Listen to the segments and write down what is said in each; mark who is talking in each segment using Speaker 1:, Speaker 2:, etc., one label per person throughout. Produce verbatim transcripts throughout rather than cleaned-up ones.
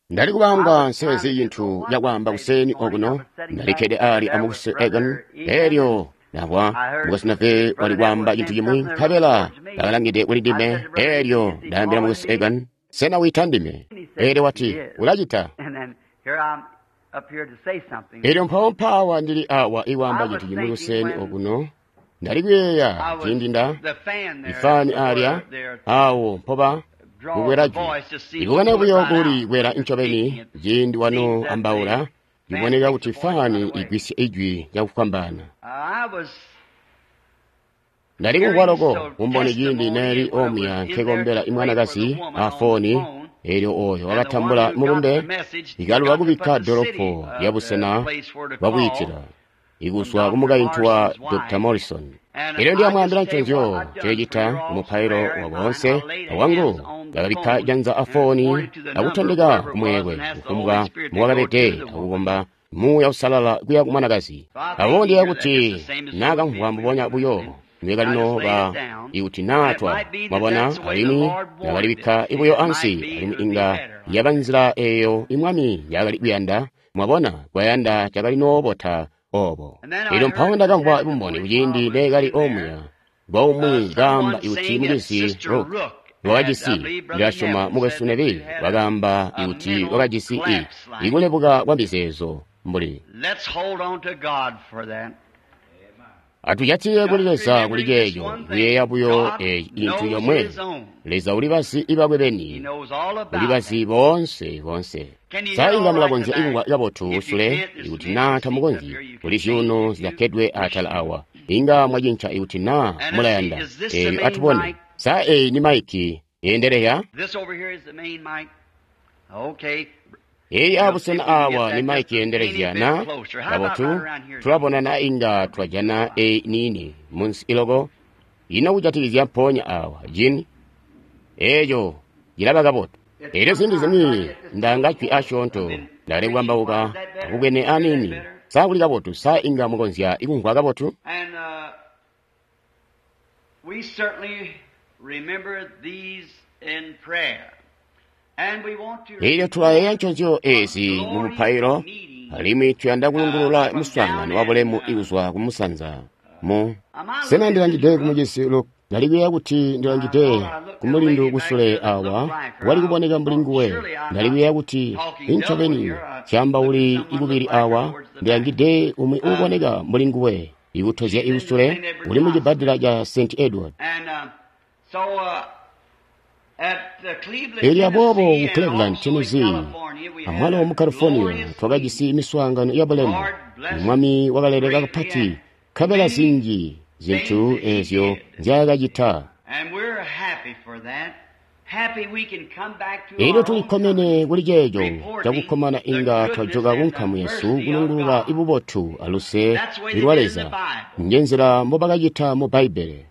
Speaker 1: Ndali kubamba nsezi cintu cakwaamba kuseni okuno, ndalikkede ali amukwesu Egan, elyo ndamvwa mukwesu Neville wali kwaamba cintu cimwi, nkabela ndakalangide kuli ndime, elyo ndaambila mukwesu Egan, sena wiita ndime? Elyo wati, ulacita. Elyo mpawo mpaawa ndili awa ikwaamba cintu cimwi kuseni okuno, ndali kuyeeya ciindi nda ifani alya awo mpoba kukwela jwi ikubona buyo kuli kwela ncobeni ciindi wano ambaula iboneka kuti fani igwisya ijwi cakufwambaana. Ndali kumvwa loko kumboni ciindi neeli omuya nkekombela imwanakazi afoni, elyo oyo wakatambula mulumbe ikaluba kubikka dolopo lya busena bwakwiitila ikuzwa kumukaintu wa Doctor Morrison. Elyo ndiyamwaambila nconzyo ceecita kumupailo wa boonse awangu ndakabikka janza afoni akutondeka kumweekwe kufumbwa muwakabede akukomba Muuya Uusalala kuya kumwanakazi. Aboobo ndiyeeya kuti naakamvwa mbubonya buyo nwekalino ba ikuti naa twa mwabona, alimwi ndakalibikka buyo ansi, alimwi inga yaba nzila eeyo imwami yakali kuyanda, mwabona, kwayanda cakalinoobota obo. Elyo mpawo ndakamvwa bumboni kuciindi neekali omuya bwaumwi kaamba ikuti mucizi Rook wakajisi, ndilasyoma mukwesu Neville wakaamba ikuti wakajisi i ikulebuka kwa mizeezo mbuli. Atujatile kuli Leza kuli ceeco, kuyeeya buyo eci cintu comwe. Leza ulibazi ibakwe beni, ulibazi boonse boonse. Sa inga mulakonzya ikumvwa kabotu kusule? Ikuti naa tamukonzyi, kuli zyuuno zilakkedwe atala awa. Inga mwacinca ikuti naa mulayanda. Elyo atubone. Sa eyi ni maiki yeendelea? Eyi abusena awa ni maiki yeendelezya na? Kabotu, tulabona na inga twajana eyi niini munsi iloko. Ino kujatikizya mpoonya awa, Jin? Eeco cilaba kabotu. Elyo ziindi zimwi ndanga jwi asyoonto, ndakali kukambauka akubwene aniini. Sa kuli kabotu? Sa inga mukonzya ikumvwa kabotu? Elyo tulayeeya nconzyo ezi mu mupailo, alimwi tuyanda kulungulula muswaangano wabulemu ikuzwa kumusanza mu. Sena ndilangide kumucizi Luke? Ndali kuyeeya kuti ndilangide kumulindu kusule awa wali kuboneka mbuli nguwe. Ndali kuyeeya kuti incobeni syaambauli ikubili awa ndilangide umwi uuboneka mbuli nguwe ikutozya ikusule uli mu cibbadela ca Saint Edward. Elyo aboobo ku Cleveland, Tennessee, amwalo mu California, twakajisi miswaangano yabulemu. Mwami wakaleleka kapati, nkabela zinji zintu ezyo nzyaakacita. Elyo tulikkomene kuli ceeco cakukkomana inga twajoka kunkamu yesu kulungulula ibubotu aluse lwa Leza. Njenzila mbobakacita mu Bbaibbele.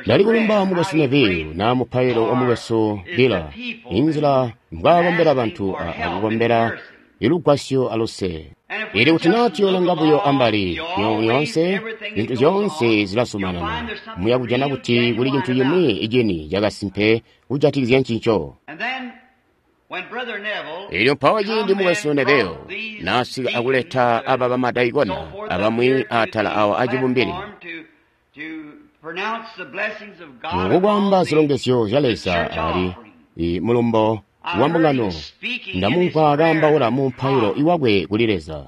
Speaker 1: Ndali kulumba mukwesu Neville na mupailo wa mukwesu Beeler, inzila mbwaakombela bantu akukombela ilugwasyo aluse. Elyo kuti naa tuyoolanga buyo ambali lyoonse, zintu zyoonse zilazumanana, muya kujana kuti kuli cintu cimwi icini cakasimpe kujatikizya ncinco. Elyo mpawo ciindi mukwesu Neville naasika akuleta aba bamadaikona abamwi atala awa acibumbili, mukukwaamba zilongezyo zya Leza ali mulumbo wa mbungano, ndamumvwa kaambaula mu mupailo iwakwe kuli Leza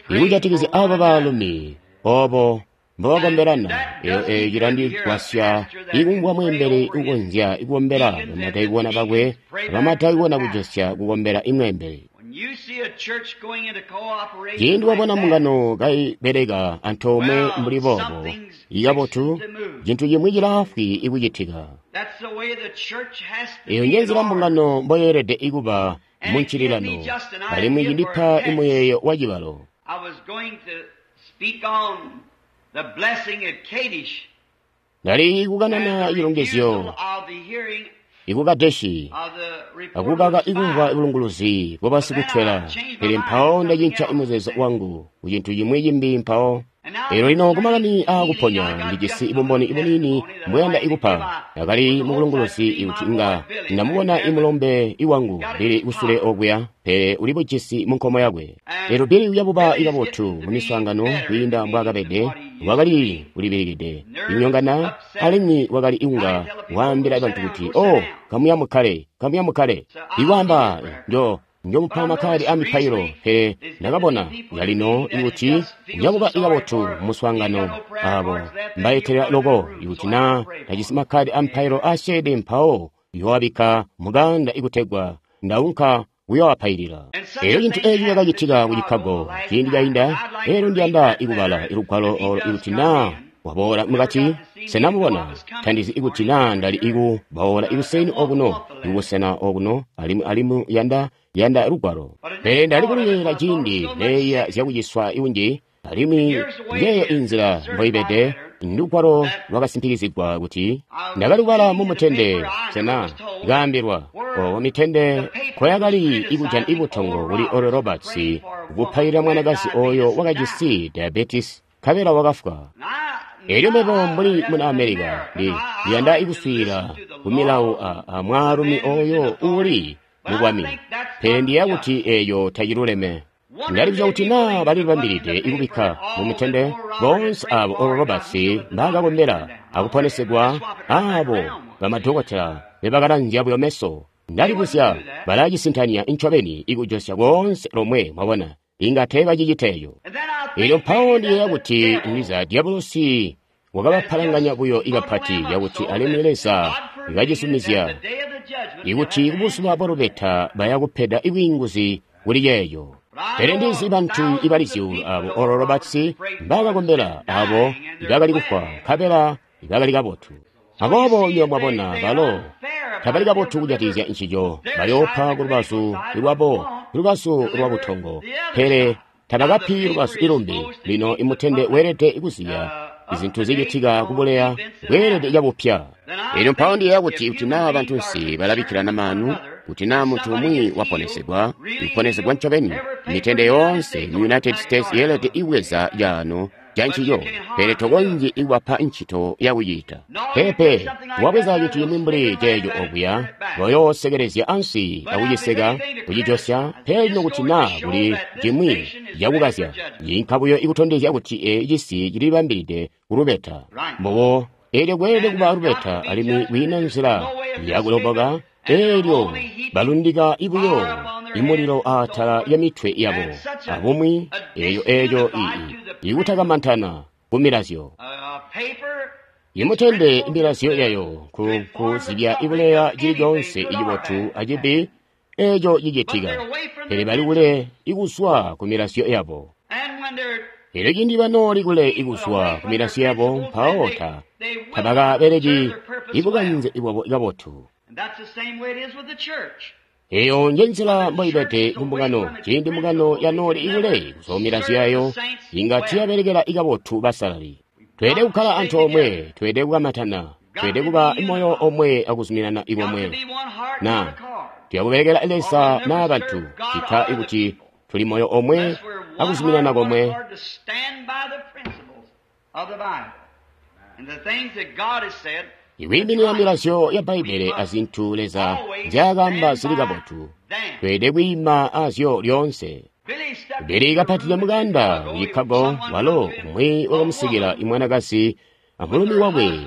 Speaker 1: ikujatikizya aba baalumi obo mbobakombelana. Eyo eyo cilandigwasya ikumvwa mweembeli ukonzya ikukombela bamadaikona bakwe, bamadaikona kujosya kukombela imweembeli. Ciindi wabona mbungano kaibeleka antoomwe mbuli boobo ikabotu, cintu cimwi cilaafwi ikucitika. Eyo njenzila mbungano mboyeelede ikuba muncililano, alimwi cindipa imuyeeyo wa cibalo. Ndali kukanana cilongezyo iku Kadeshi akukaka ikumvwa bulunguluzi bwa basikutwela, pele mpawo ndacinca muzeezo wangu ku cintu cimwi cimbi mpawo. Elyo lino kumakani aakuponya ndijisi bumboni buniini mbweyanda ikupa. Ndakali mukulunguluzi kuti inga ndamubona imulombe iwangu Billy kusule okuya, pele uli bujisi mu nkomo yakwe. Elyo Billy uyabuba kabotu mu miswaangano kwiinda mbwaakabede. Wakali kulibilikide, inyongana, alimwi wakali inga waambila bantu kuti, "Oh, kamuya mukkale, kamuya mukkale." Iwaamba, njo njomupa makkadi a mipailo, pele ndakabona yalino ikuti uyabuba kabotu muswaangano abo mbaetela loko ikuti naa tajisi makkadi a mipailo asyeede mpawo yoabikka muganda ikutegwa ndaunka kuyoapailila. Elyo cintu eeci cakacitika ku Chicago ciindi cainda. Elyo ndiyanda ikubala ilugwalo olo ikuti naa waboola mukati. Sena mubona? Tandizi ikuti naa ndali ikuboola ikuseni okuno ikubusena okuno alimwi alimwi yanda yanda lugwalo, pele ndali kuluyeeyela ciindi neeya zyakuciswa ikunji, alimwi ngeeyo inzila mboibede. Ndugwalo lwakasimpikizigwa kuti ndakali kubala mu mutende. Sena kaambilwa obo mitende nkoyakali ikujana ibutongo kuli Oral Roberts kupailila mwanakazi oyo wakajisi diabetes nkabela wakafwa. Elyo mebo mbuli muna America ndi ndiyanda ikuswiilila ku milawo a, a mwaalumi oyo uuli mubwami, pele ndiyeeya kuti eyo taciluleme. Ndalibuzya kuti naa balilibambilide ikubikka mu mitende boonse abo Oral Roberts mbaakakombela akuponesegwa, abo bamadokotela bebakalanzya buyo meso. Ndalibuzya balacisintanya incobeni ikujosya koonse lomwe, mwabona, inga teebacicita eco. Elyo mpawo ndiyeeya kuti ndiza diabolosi wakabapalanganya buyo ikapati cakuti alimwi Leza kacizumizya ikuti kubuzuba bwa lubeta baya kupeda ibwiinguzi kuli ceeco. Pele ndizi bantu ibali zyuulu abo Oral Roberts mbaakakombela, abo ibakali kufwa nkabela ibakali kabotu. Aboobo iyo mwabona balo tabali kabotu kujatikizya ncico, bayoopa kulubazu lwabo, lubazu lwa butongo, pele tabakapi lubazu ilumbi. Lino imutende weelede kuziya izintu zicitika kubuleya bweelede cabupya. Elyo mpawo ndiyeeya kuti kuti naa bantunsi balabikkilana maanu, kuti naa muntu umwi waponesegwa, ikuponesegwa ncobeni, mitende yoonse mu United States yeelede ibweza caano ca ncico, pele tokonzyi ikubapa ncito yakucita. Peepe, wabweza cintu cimwi mbuli ceeco okuya, bayoosekelezya ansi akuciseka kucijosya. Pele lino kuti naa kuli cimwi cakukazya, yinka buyo ikutondezya kuti ee cisi cilibambilide kulubeta. Mbobo eelyo kweelede kuba lubeta, alimwi kwiina nzila yakuloboka. Eelyo balundika ibuyo imulilo aatala ya mitwe yabo abumwi, eyo eyo ii ikutakamantana ku milazyo. Imutende milazyo yayo ku kuzibya ibuleya cili coonse icibotu acibi eco cicitika, pele bali kule ikuzwa ku milazyo yabo. Elyo ciindi banooli kule ikuzwa ku milazyo yabo, mpawo ta tabakabeleki ibukanze bwabo kabotu. Eyo nje nzila mboibede kumbungano. Ciindi mbungano yanooli ikule kuzwa milazyo yayo, inga tiyabelekela ikabotu basalali. Tweelede kukkala antoomwe, tweelede kukamatana, tweelede kuba moyo omwe akuzuminana ikomwe. Na tuyakubelekela Leza naa bantu, cita ikuti tuli moyo omwe akuzuminana komwe. Ikwiiminina milazyo ya Bbaibbele azintu Leza nzyaakaamba zili kabotu, tweelede kwiima azyo lyoonse. Billy kapatide mukanda ku Chicago, walo umwi wakamusikila imwanakazi amulumi wakwe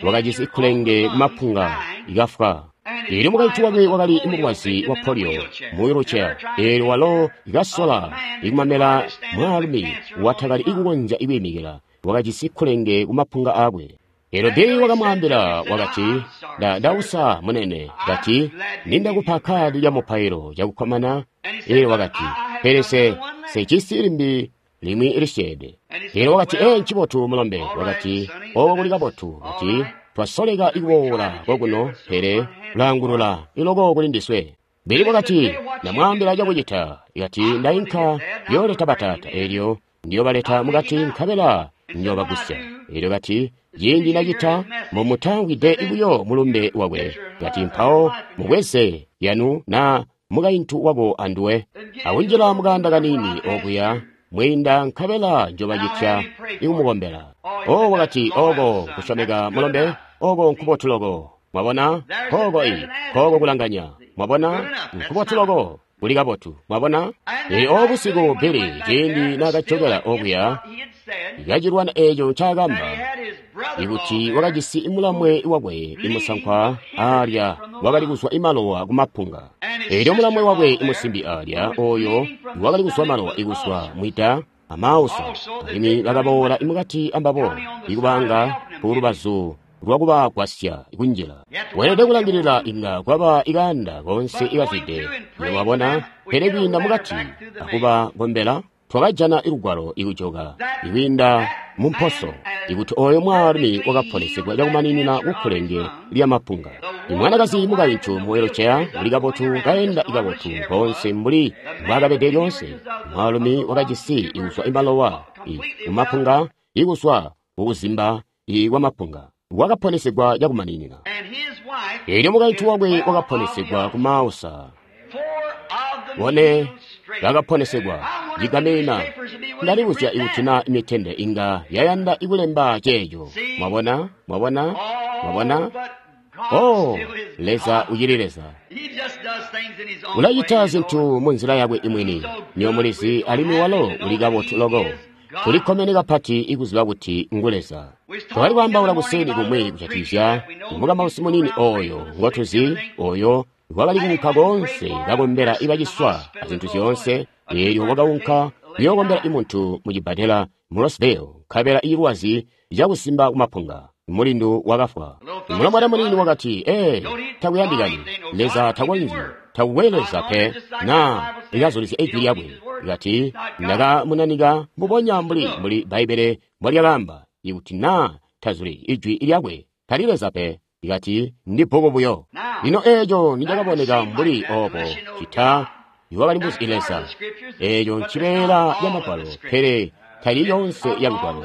Speaker 1: wakajisi kkulenge kumapunga ikafwa. Eelyo mukaintu wakwe wakali mulwazi wa polio mu wheelchair. Eelyo walo ikasola ikumamela mwaalumi watakali ikukonzya ikwiimikila, wakajisi kkulenge kumapunga aakwe. Eelyo Billy wakamwaambila wakati, nda ndausa munene, kati nindakupa kadi lya mupailo cakukkomana. Eelyo wakati, pele se sejisi limbi limwi lisyeede. Eelyo wakati, ee ncibotu mulombe, wakati oko kuli kabotu, kati twasoleka ikuwoola kokuno, pele ulaangulula iloko kuli ndiswe. Billy wakati, ndamwaambila cakucita, ikati ndainka yooleta bataata, eelyo ndiyobaleta mukati nkabela ndiyobagusya. Eelyo kati, ciindi ndacita mbomutawide buyo mulumbe wakwe, kati mpawo mubweze yanu naa mukaintu wako anduwe, akunjila mukanda kanini okuya mwiinda nkabela njobacitya ikumukombela. O wakati, oko kusyomeka mulombe, oko nkubotu loko. Mwabona? Koko i, koko kulanganya. Mwabona? Nkubotu loko. Kuli kabotu. Mwabona? Elyo obusiku Billy, ciindi nakajokela okuya, kacilwana eco ncaakamba, ikuti wakajisi mulamwe wakwe imusankwa alya wakali kuzwa imalowa kumapunga. Elyo mulamwe wakwe imusimbi alya oyo wakali kuzwa malowa ikuzwa mwida amausa, alimwi bakaboola imukati ambabo ikubanga kulubazu lwakubagwasya kunjila. Weelede kulangilila inga kwaba ikanda konse ikazwide, wabona, pele kwiinda mukati akubakombela, twakajana ilugwalo ikujoka ikwiinda mumposo ikuti oyo mwaalumi wakaponesegwa cakumaninina kukkulenge lyamapunga. Imwanakazi mukaintu mu wheelchair uli kabotu, kaenda ikabotu konse mbuli mbwaakabede lyonse. Mwaalumi wakajisi ikuzwa imalowa kumapunga, ikuzwa kukuzimba kwamapunga, wakaponesegwa cakumaninina. Elyo mukaintu wakwe wakaponesegwa kumausa. Bone bakaponesegwa cigamina. Ndalibuzya ikuti na mitende inga yayanda ikulemba ceeco. Mwabona? Mwabona? Mwabona? Oh, Leza ucili Leza. Ulacita zintu munzila yakwe imwini. Niyo mulizi, alimwi walo uli kabotu loko. Tulikkomene kapati ikuziba kuti ngu Leza. Twakali kwaambaula kuseni kumwi kujatikizya mukamausi munini oyo ngotuzi, oyo wakali kuunka koonse kakombela ibaciswa azintu zyoonse. Eelyo wakaunka kuyookombela imuntu mu cibbadela mu Rosedale, nkabela ilwazi cakusimba kumapunga. Mulindu wakafwa. Mulombwana munini wakati, ee, takuyandikani. Leza takonzyi, takukwe Leza pe, na likazulizya ijwi lyakwe. Kati, ndakamunanika mbubonya mbuli mbuli Bbaibbele mbwalyakaamba, ikuti na tazuli ijwi lyakwe, tali Leza pe. Ikati, ndi bbuku buyo. Lino eeco nicakaboneka mbuli obo, cita iwakali mbuzi Leza. Eeco ncibeela ya Magwalo, pele tali yonse ya Lugwalo.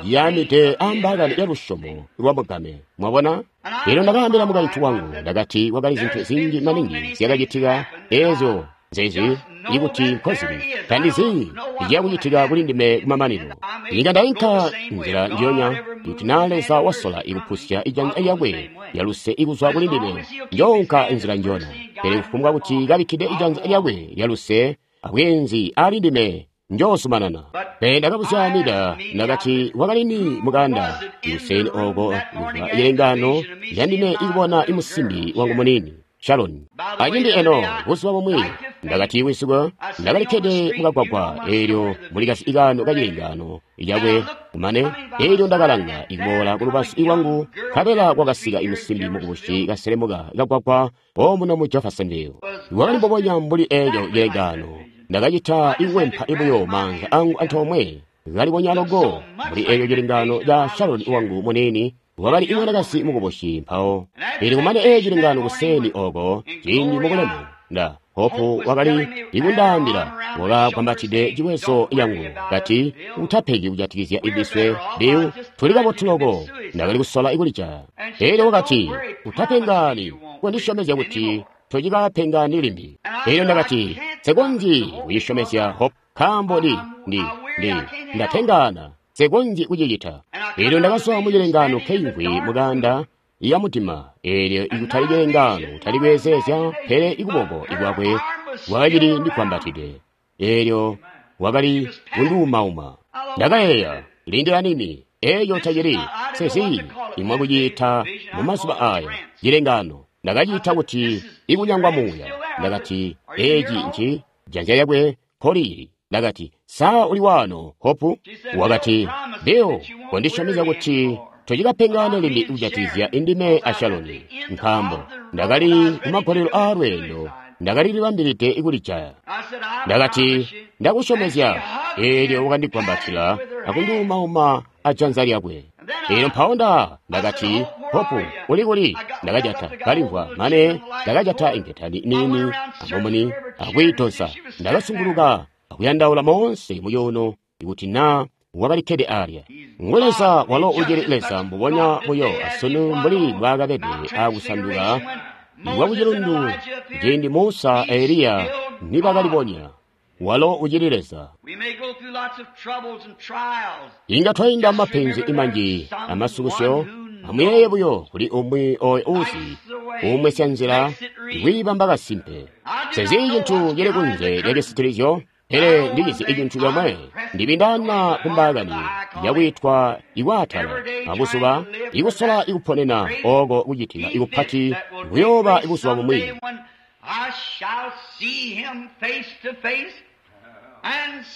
Speaker 1: Yamide ambaakani ya lusyomo lwa mugame. Mwabona? Elyo ndakaambila mukaintu wangu, ndakati kwakali zintu zinji maningi zyakacitika eezyo nzezi ikuti nkozili tandizi icakucitika kuli ndime kumamanino. Inga ndainka nzila njiyonya, kuti na Leza wasola ikupusya ijanza lyakwe lyaluse ikuzwa kuli ndime, njoonka nzila njiyona. Pele kufumbwa kuti kabikkide ijanza lyakwe lyaluse abweenzi ali ndime, njoozumanana. Pele ndakabuzya Mida, ndakati wakali ni mukanda kuseni oko kuzwa ilengano lyandime ikubona imusimbi wangu munini Sharon. Acindi eno buzuba bumwi ndakati wisuka ndakalikkede mukagwagwa, eelyo mulikasi ikano kacilengano lyakwe kumane, eelyo ndakalanga ikuboola kulubazu lwangu, nkabela kwakasika imusimbi mukubusi kaselemuka kagwagwa omuno mu Jeffersonville. Wakali mbubonya mbuli eelyo cilengano. Ndakacita ikuwempa ibuyo maanza angu antoomwe, kalibonya loko mbuli eelyo cilengano ca Sharon wangu munini. Wakali imwanakazi mukubusi mpawo. Pele kumane eeyo cilengano kuseni oko, ciindi mubulemu, nda Hopu wakali ikundaambila, wakakwambatide ciwezo yangu, kati utapeki kujatikizya ibiswe Bill, tuli kabotu loko. Ndakali kusola ikulija. Elyo wakati, utapengani, kondisyomezya kuti tocikapengani limbi. Elyo ndakati, nsekonzyi kuyisyomezya Hope, nkaambo ndi ndi ndi ndatengana, nsekonzyi kucicita. Elyo ndakazwa mu cilengano keimvwi mukanda ya mudima, eelyo ikutali cilengano kutali kweezeezya, pele ikuboko ikwakwe kwakacili ndikwambatide. Eelyo wakali kunduumauma. Ndakayeeya, lindila nini, eeyo tacili sezi imwe kuciita mu mazuba aya cilengano. Ndakaciita kuti ikunyangwa muuya. Ndakati, eeci nci janza lyakwe nkolili. Ndakati, saa uli waano, Hopu? Wakati, Bill, kondisyomezya kuti tocikapengane limbi kujatikizya indime a Shaloni, nkaambo ndakali kumagolelo aalweendo, ndakali libambilide ikulijaya. Ndakati, ndakusyomezya. Eelyo wakandigwambatila akunduumauma ajanza lyakwe. Eelyo mpawo nda ndakati, Hopu, uli kuli? Ndakajata kalimvwa mane ndakajata inketani niini amumuni akwiitosa. Ndakasunguluka akuyandaula moonse mucuuno ikuti naa wakalikkede alya. Ngu Leza walo ucili Leza mbubonya buyo asunu mbuli mbwaakabede aakusanduka kwa kucilundu ciindi Musa a Eliya nibakalibonya. Walo ucili Leza. Inga twainda mapenzi manji amasukusyo. Amuyeeye buyo kuli umwi oyo uzi umwesya nzila ikwiibamba kasimpe. Sezi cintu cili kunze lya cisitilizyo, pele ndikizi icintu comwe, ndibindana kumbaakani yakwiitwa ikwaatala abuzuba ikusola ikuponena oko kucitika ikupati kuyooba ibuzuba bumwi.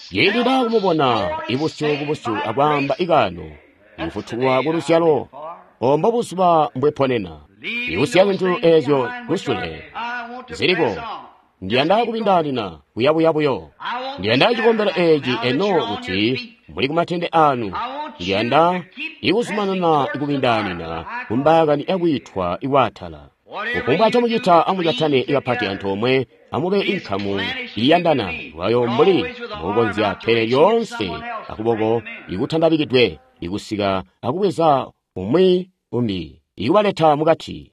Speaker 1: Ciindi ndaakumubona ibusyu kubusyu akwaamba ikaano, ikufutulwa kuluzyalo, ombo buzuba mbweponena. Ikusiya zintu eezyo kusule ziliko. Ndiyanda kubindaanina kuyabuya buyo. Ndiyanda cikombelo eeci eno kuti muli kumatende anu. Ndiyanda ikuzumanana ikubindaanina kumbaakani yakwiitwa ikwaatala. Kufumbwa ncomucita amujatane ikapati antoomwe, amube inkamu iyandana lwayo mbuli mbukonzya, pele lyoonse akuboko ikutandabikidwe ikusika akubweza umwi umbi ikubaleta mukati.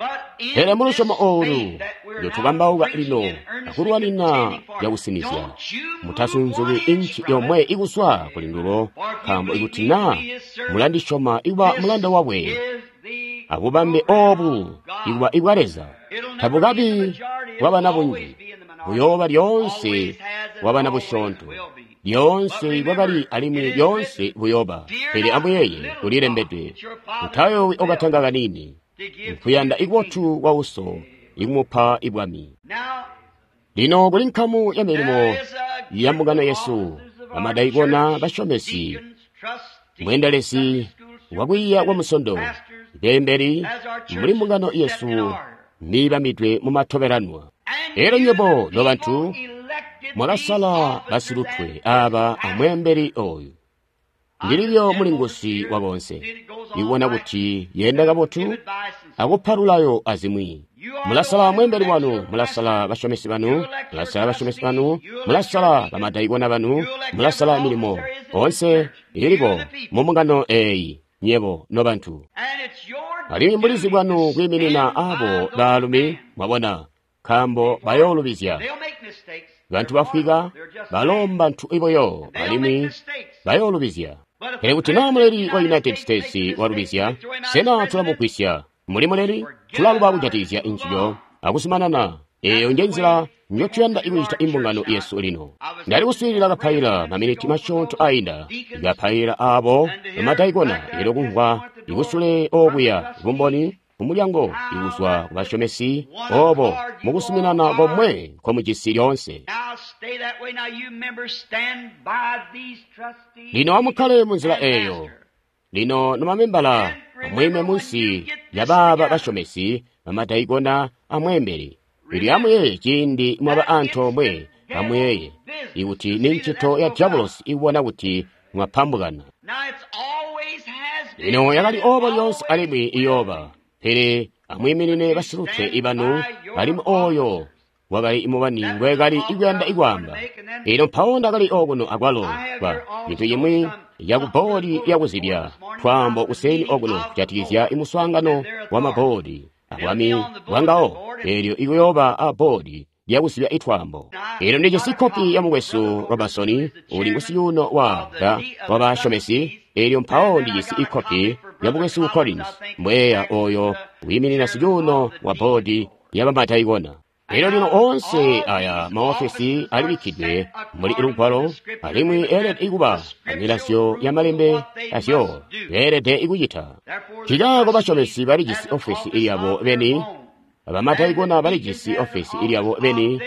Speaker 1: Pele mulusyomo oolu lyotukambauka lino akulwanina cakusinizya, mutasunzuki inci yomwe ikuswa kuli ndulo, nkaambo ikuti naa mulandisyoma ikuba mulanda wakwe abubambe oobu ikuba ibwa Leza, tabukabi bwabana bunji, buyooba lyoonse bwabana busyoonto. Lyoonse bwakali alimwi lyoonse buyooba. Pele amuyeeye kulilembedwe, mutayoowi okatanga kaniini, nkuyanda ikubotu kwa uso ikumupa ibwami. Lino kuli nkamu ya milimo ya mbungano yesu, bamadaikona, basyomesi, mweendelezi wakwiiya kwa musondo, beembeli muli mbungano yesu niibamidwe mumatobelanwa. Elyo nywebo nobantu mwakasala basilutwe aaba amweembeli oyu. Ndililyo mulingusi wa bonse, ikubona kuti yenda kabotu akupa lulayo azimwi. Mulasala mweembeli wanu, mulasala basyomesi banu, mulasala basyomesi banu, mulasala bamadaikona banu, mulasala milimo onse iliko mumbungano eeyi, nyebo nobantu. Alimwi mbulizi bwanu kwiiminina abo baalumi, mwabona, nkaambo bayoolubizya. Bantu bafwika balo mbantu iboyo alimwi bayoolubizya. Pele kuti naa muleli wa United States walubizya, sena tulamugwisya? Muli muleli, tulaluba kujatikizya njiyo akuzumanana. Eeyo nje nzila njotuyanda ikucita imbungano yesu lino. Ndali kuswiilila kapaila maminiti masyoonto ainda, kapaila aabo bamadaikona, elyo kumvwa ikusule oobuya bumboni kumulyango ikuzwa kubasyomesi oobo mukusuminana komwe nkomujisi lyoonse. Lino amukkale munzila eeyo. Lino nomamembala amwiime munsi lya baaba basyomesi bamadaikona amweembeli. Elyo amuyeeye ciindi mwaba antoomwe, amuyeeye ikuti ni ncito ya diabolosi ikubona kuti mwapambukana. Lino yakali oobo lyoonse alimwi iyooba. Pele amwiiminine basilutwe ibanu, alimwi ooyo wakali mubani ngwekali ikuyanda ikwaamba. Ino mpawo ndakali okuno akwalo kwa cintu cimwi yaku bboodi yakuzibya twaambo kuseni okuno kujatikizya imuswaangano wa mabboodi abwami bwangawo, eelyo ikuyooba a bboodi lyakuzibya itwaambo. Elo ndijisi kopi ya mukwesu Robertson uli ngusiyuno wa wa basyomesi, eelyo mpawo ndijisi ikopi ya mukwesu Collins mbweya oyo wiiminina siyuno wa bboodi ya bamadaikona. Elyo lino onse aya maofesi alibikkidwe muli lugwalo, alimwi eelede ikuba amilazyo ya malembe azyo beelede ikucita. Nkaako basyomesi balijisi ofesi iyabo beni, abamadaikona balijisi ofesi ilyabo beni,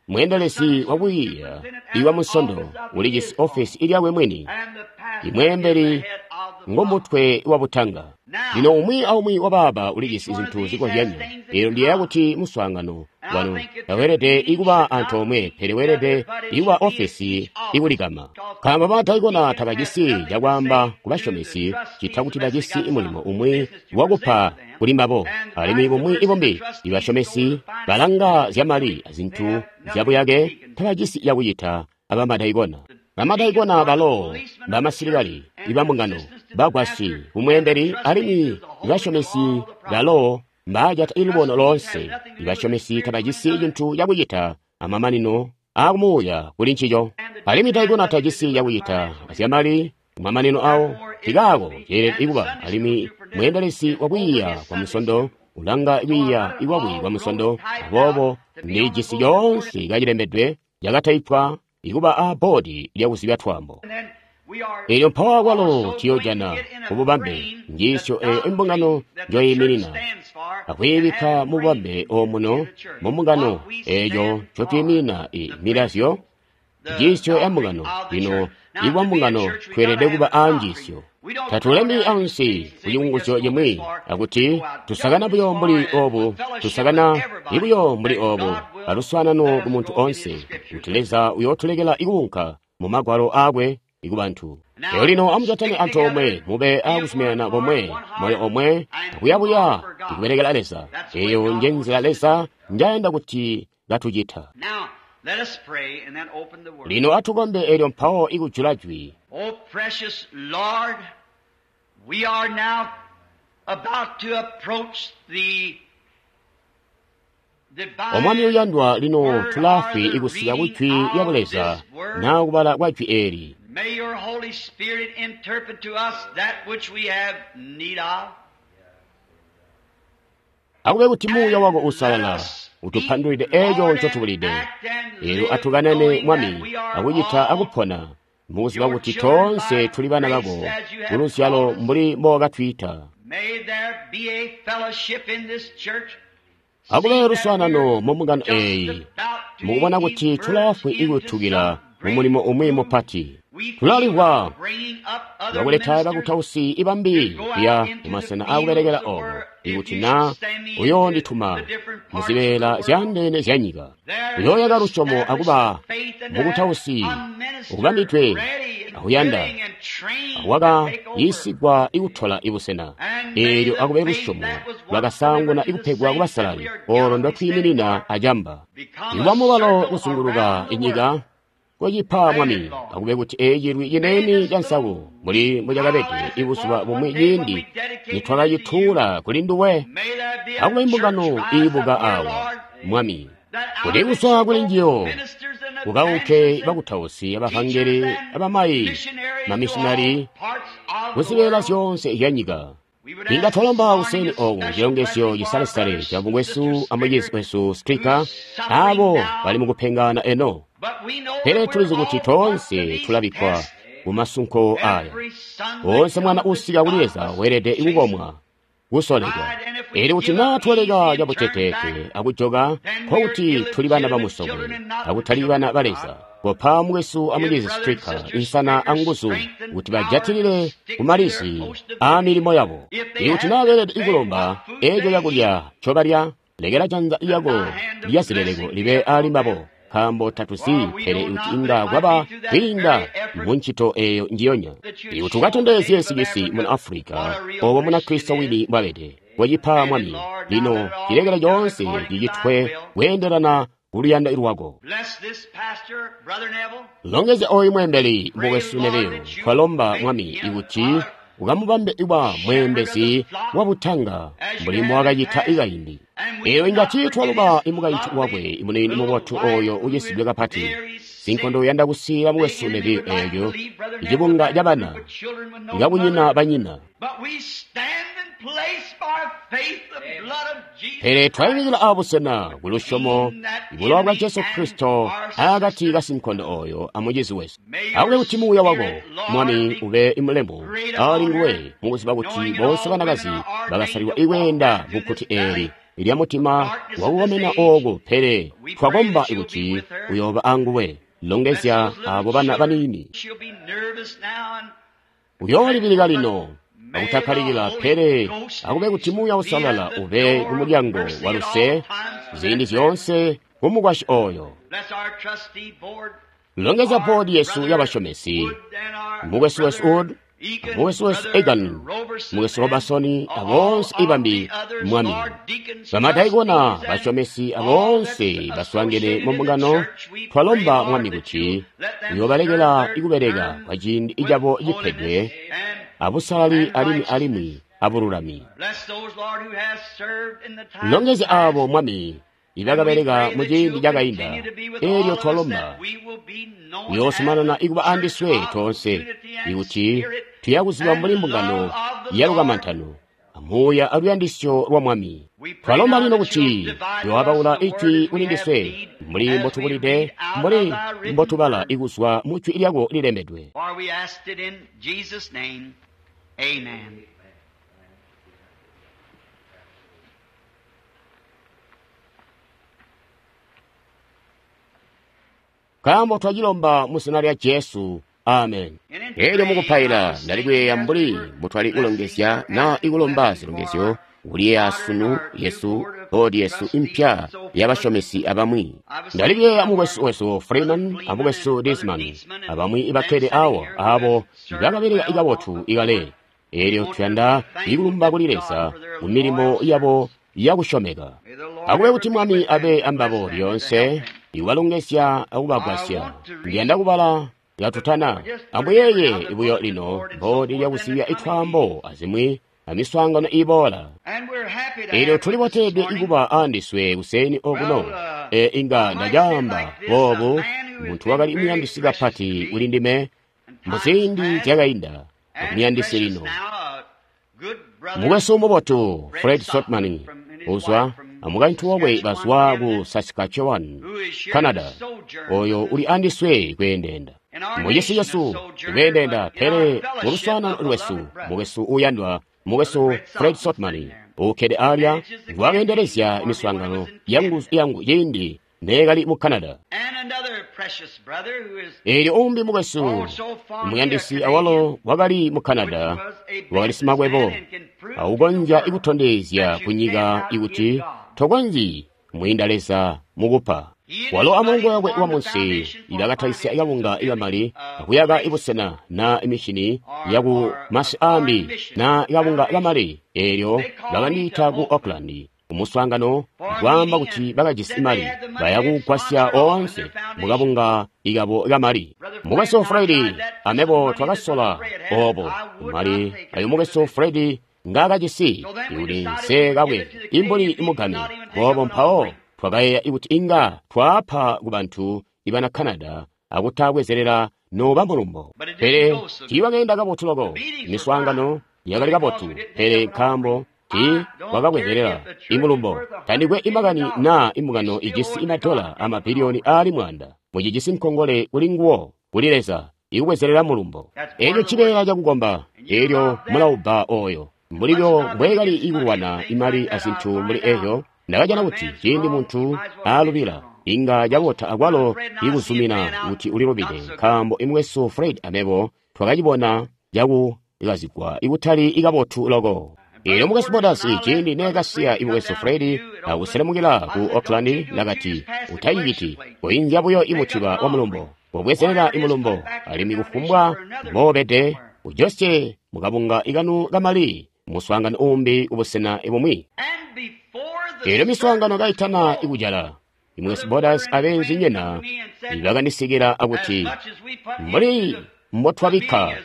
Speaker 1: mweendelezi wakwiiya iwa musondo ulijisi ofesi ilyakwe mwini, imweembeli ngomutwe wa butanga. Lino umwi aumwi wa baaba ulijisi zintu zikozyanya. Elyo ndiyeeya kuti muswaangano wanu taweelede ikuba antoomwe, pele weelede ikuba ofesi ikulikama. Nkaambo bamadaikona tabajisi cakwaamba ku basyomesi ccita kuti bajisi mulimo umwi wakupa kuli mbabo, alimwi bumwi ibumbi ibasyomesi balanga zyamali azintu zyabuyake tabajisi cakucita abamadaikona. Bamadaikona balo bamasilikali ibambungano bagwasyi kumweembeli, alimwi ibasyomesi balo mbaajata ilubono loonse. Ibasyomesi tabajisi cintu cakucita amamanino aakumuuya kuli ncico. Alimwi daikona tajisi cakucita azyamali kumamanino awo, nkikaako ceelede kuba alimwi mweendelezi wa kwiiya kwa Munsondo ulanga kwiiya kwakwe kwa Munsondo. Aboobo ndijisi coonse kacilembedwe cakataipwa ikuba a boodi lyakuzibya twaambo. Elyo mpawo kwalo tuyojana kububambe njiisyo eyo imbungano njoyiiminina, akwiibikka mububambe omuno mu mbungano eeco ncotwiiminina i milazyo njiisyo ya mbungano. Lino ikuba mbungano tweelede kuba a njiisyo. Tatulembi ansi kucikunguzyo cimwi akuti tusakana buyo mbuli obu, tusakana buyo mbuli obu, aluswaanano ku muntu onse, kuti Leza uyootulekela ikuunka mu magwalo aakwe ikubantu. Elyo lino amujatane antoomwe, mube akuzuminana komwe, moyo omwe, akuyabuya ikubelekela Leza. Eyo nje nzila Leza njayanda kuti katucita. Lino atukombe elyo mpawo ikujula jwi.
Speaker 2: Oh, precious Lord, we are now about to approach the
Speaker 1: Omwami uyandwa, lino tulaafwi ikusika ku jwi lya Buleza na kubala kwa jwi eli.
Speaker 2: May your Holy Spirit interpret to us that which we have need of.
Speaker 1: Akube kuti Muuya wako Uusalala utupandulide eco ncotubulide. Elyo atukanane Mwami akucita akupona mukuziba kuti toonse tuli bana bako kuluzyalo mbuli mbookatwiita.
Speaker 2: May there be a fellowship in this church.
Speaker 1: Akube luswaanano mu mbungano eeyi, mukubona kuti tulaafwi ikutukila mu mulimo umwi mupati. Tulalimvwa lwakuleta bakutausi ibambi kuya mumasena akubelekela obo, ikuti na uyoondituma muzibeela zyaandeene zyanyika. Uyooyaka lusyomo akuba mukutausi ukubambidwe akuyanda wakayiisigwa ikutola ibusena. Eelyo akube lusyomo lwakasaanguna ikupegwa kubasalali, olo ndotwiiminina acamba. Ikuba mubalo kuzunguluka inyika kocipa Mwami, akube kuti eecilwi cineeni ca nsaku muli mbucakabede ibuzuba bumwi ciindi nitwakacituula kuli nduwe. Akube imbungano iibuka awa, Mwami, kuti kuzwa kuli njiyo kukaunke bakutausi, abavangeli, abamayi, mamishinari kuzibeela zyoonse zyanyika. Inga twalomba kuseni oku cilongezyo cisalesale ca mukwesu amucizi wesu Stricker, abo bali mukupengana eno. Pele tulizi kuti toonse tulabikkwa kumasunko aya. Wonse mwana usika kuli Leza weelede kukomwa, kusolekwa. Elyo kuti naa twaleka cabuteteete akujoka, nkokuti tuli bana bamusokwe, akutali bana ba Leza. Kopa mukwesu amucizi Stricker insana anguzu kuti bajatilile kumalizi aamilimo yabo. Ikuti naa beelede ikulomba eeco cakulya ncobalya, lekela janza lyako lya zileleko libe ali mbabo, nkaambo tatuzi pele kuti inga kwaba kwiinda mu ncito eeyo njiyonya. Ikuti ukatondezye sikisi muna Afulika obo muna Kristo wini mbwabede, wacipa Mwami. Lino cilekele coonse cicitwe kweendelana kuluyando lwako.
Speaker 2: Bless this pastor, Brother Neville.
Speaker 1: Longezya oyu mweembeli mukwesu Neville. Twalomba Mwami ikuti ukamubambe iwa mweembezi wa butanga mbuli mbowakacita ikaindi. Eyo inga tiitwaluba imukaintu wakwe imuniini mubotu oyo ucisidwe kapati. Sinkondo uyanda kusiila mukwesu Neville eeco icibunga ca bana ikakunyina banyina.
Speaker 2: But we stand in place by faith the blood of Jesus.
Speaker 1: Pele twayimikila abusena kulusyomo ibulowa bwa Jesu Kristo akati ka sinkondo oyo amucizi wesu. Akube kuti Muuya wako Mwami ube imulemu ali nguwe mukuziba kuti bonse banakazi bakasalilwa ikweenda mu kkuti eeli lya mutima wakukomena oku, pele twakomba kuti uyooba anguwe. Longezya abo bana baniini.
Speaker 2: She'll be nervous now and
Speaker 1: Uyoolibilika lino akutakkalikila, pele akube kuti Muuya Uusalala ube kumulyango wa luse ziindi zyoonse kumukwasyi oyo.
Speaker 2: bless our trustee board.
Speaker 1: Longezya boodi yesu y'abasyomesi, mukwesu wesu Wood, mukwesu wesu Egan, mukwesu Robertson, abonse ibambi Mwami. Bamadaikona, basyomesi abonse baswaangene mu mbungano, twalomba Mwami kuti uyoobalekela ikubeleka kwa ciindi cabo cipedwe abusalali alimwi alimwi abululami.
Speaker 2: Bless those, Lord, who has served in the time
Speaker 1: Longezya abo Mwami ibakabeleka muciindi cakainda. Elyo twalomba uyoozumanana ikuba andiswe toonse, ikuti tuyakuziba mbuli mbungano yalukamantano amuuya aluyandisyo lwa Mwami. Twalomba lino kuti uyooabaula ijwi kuli ndiswe mbuli mbotubulide, mbuli mbotubala ikuzwa mu jwi lyako lilembedwe.
Speaker 2: For we asked it in Jesus' name. Amen.
Speaker 1: Nkaambo twacilomba mu zina lya Jesu. Amen. Elyo mukupaila ndali kuyeeya mbuli mbutwali kulongezya na ikulomba zilongezyo kuliyeeya sunu yesu boodi yesu impya yabasyomesi abamwi. Ndali kuyeeya mukwesu wesu Freeman amukwesu Disman abamwi ibakkede awa abo bakabeleka ikabotu ikale. Elyo tuyanda ikulumba kuli Leza ku milimo yabo yakusyomeka. Akube kuti Mwami abe ambabo lyoonse, ikubalongezya akubagwasya. Ndiyanda kubala yatutana. Amuyeeye buyo lino boodi lyakusibya itwaambo azimwi amiswaangano iboola.
Speaker 2: And we're happy to
Speaker 1: Elyo
Speaker 2: have
Speaker 1: tuli
Speaker 2: with us this
Speaker 1: botedwe
Speaker 2: morning
Speaker 1: ikuba andiswe kuseni okuno. E inga ndacaamba boobu, muntu wakali muyandisi kapati kuli ndime muziindi zyakainda, muyandisi lino. Mukwesu mubotu Fred Sotman uzwa amukaintu wakwe bazwa ku Saskatchewan, Canada, oyo uli andiswe kweendeenda mucisi cesu kweendeenda, pele muluswaanano lwesu mukwesu uyandwa mukwesu Fred Sotman ukkede alya nguwakeendelezya miswaangano yangu yangu ciindi neekali mu Canada.
Speaker 2: And another precious brother who is
Speaker 1: Eelyo umbi mukwesu muyandisi awalo wakali mu Canada, wakali simakwebo aukonzya ikutondezya kunyika ikuti tokonzyi mwiinda Leza mukupa. Walo amulongo wakwe wamunsi ibakatalisya kabunga ikamali akuyaka ibusena na imishini yaku masi ambi na kabunga kamali. Eelyo bakandiita ku Auckland kumuswaangano kwaamba kuti bakajisi mali baya kugwasya oonse mukabunga ikabo kamali. Mukwesu Fredi amebo twakasola obo mali ayo mukwesu Fredi ngaakajisi ikuti nse kabwe imbuli imugame boobo. Mpawo twakayeeya ikuti inga twaapa ku bantu ibana Canada akutabwezelela noba mulumbo, pele tiibakeenda kabotu loko. Miswaangano yakali kabotu, pele nkaambo ti wakabwezelela imulumbo. Tandikwe imakani naa imbungano ijisi imadola amabiliyoni aali mwanda, mucijisi nkongole kuli nguwo kuli Leza ikubwezelela mulumbo. Elyo cibeela cakukomba, elyo mulaubba oyo mbulibyo mbwekali ikulwana imali azintu mbuli ezyo. Ndakajana kuti ciindi muntu aalubila inga cabota akwalo ikuzumina kuti ulilubide, nkaambo imukwesu Fred amebo twakacibona cakukazigwa ikutali ikabotu loko. Eelyo mukwesu Borders ciindi neekasiya imukwesu Fred akuselemukila ku Auckland, ndakati, utayiciti, koinzya buyo imutiba wa mulumbo, kobwezelela imulumbo, alimwi kufumbwa mboobede ujosye mukabunga ikanu kamali muswaangano umbi kubusena bumwi.
Speaker 2: and before the
Speaker 1: Eelyo miswaangano kaitana ikujala, imukwesu Borders abeenzinyina bakandisikila akuti,
Speaker 2: as much as we put
Speaker 1: mbuli
Speaker 2: into the
Speaker 1: mbotwabikka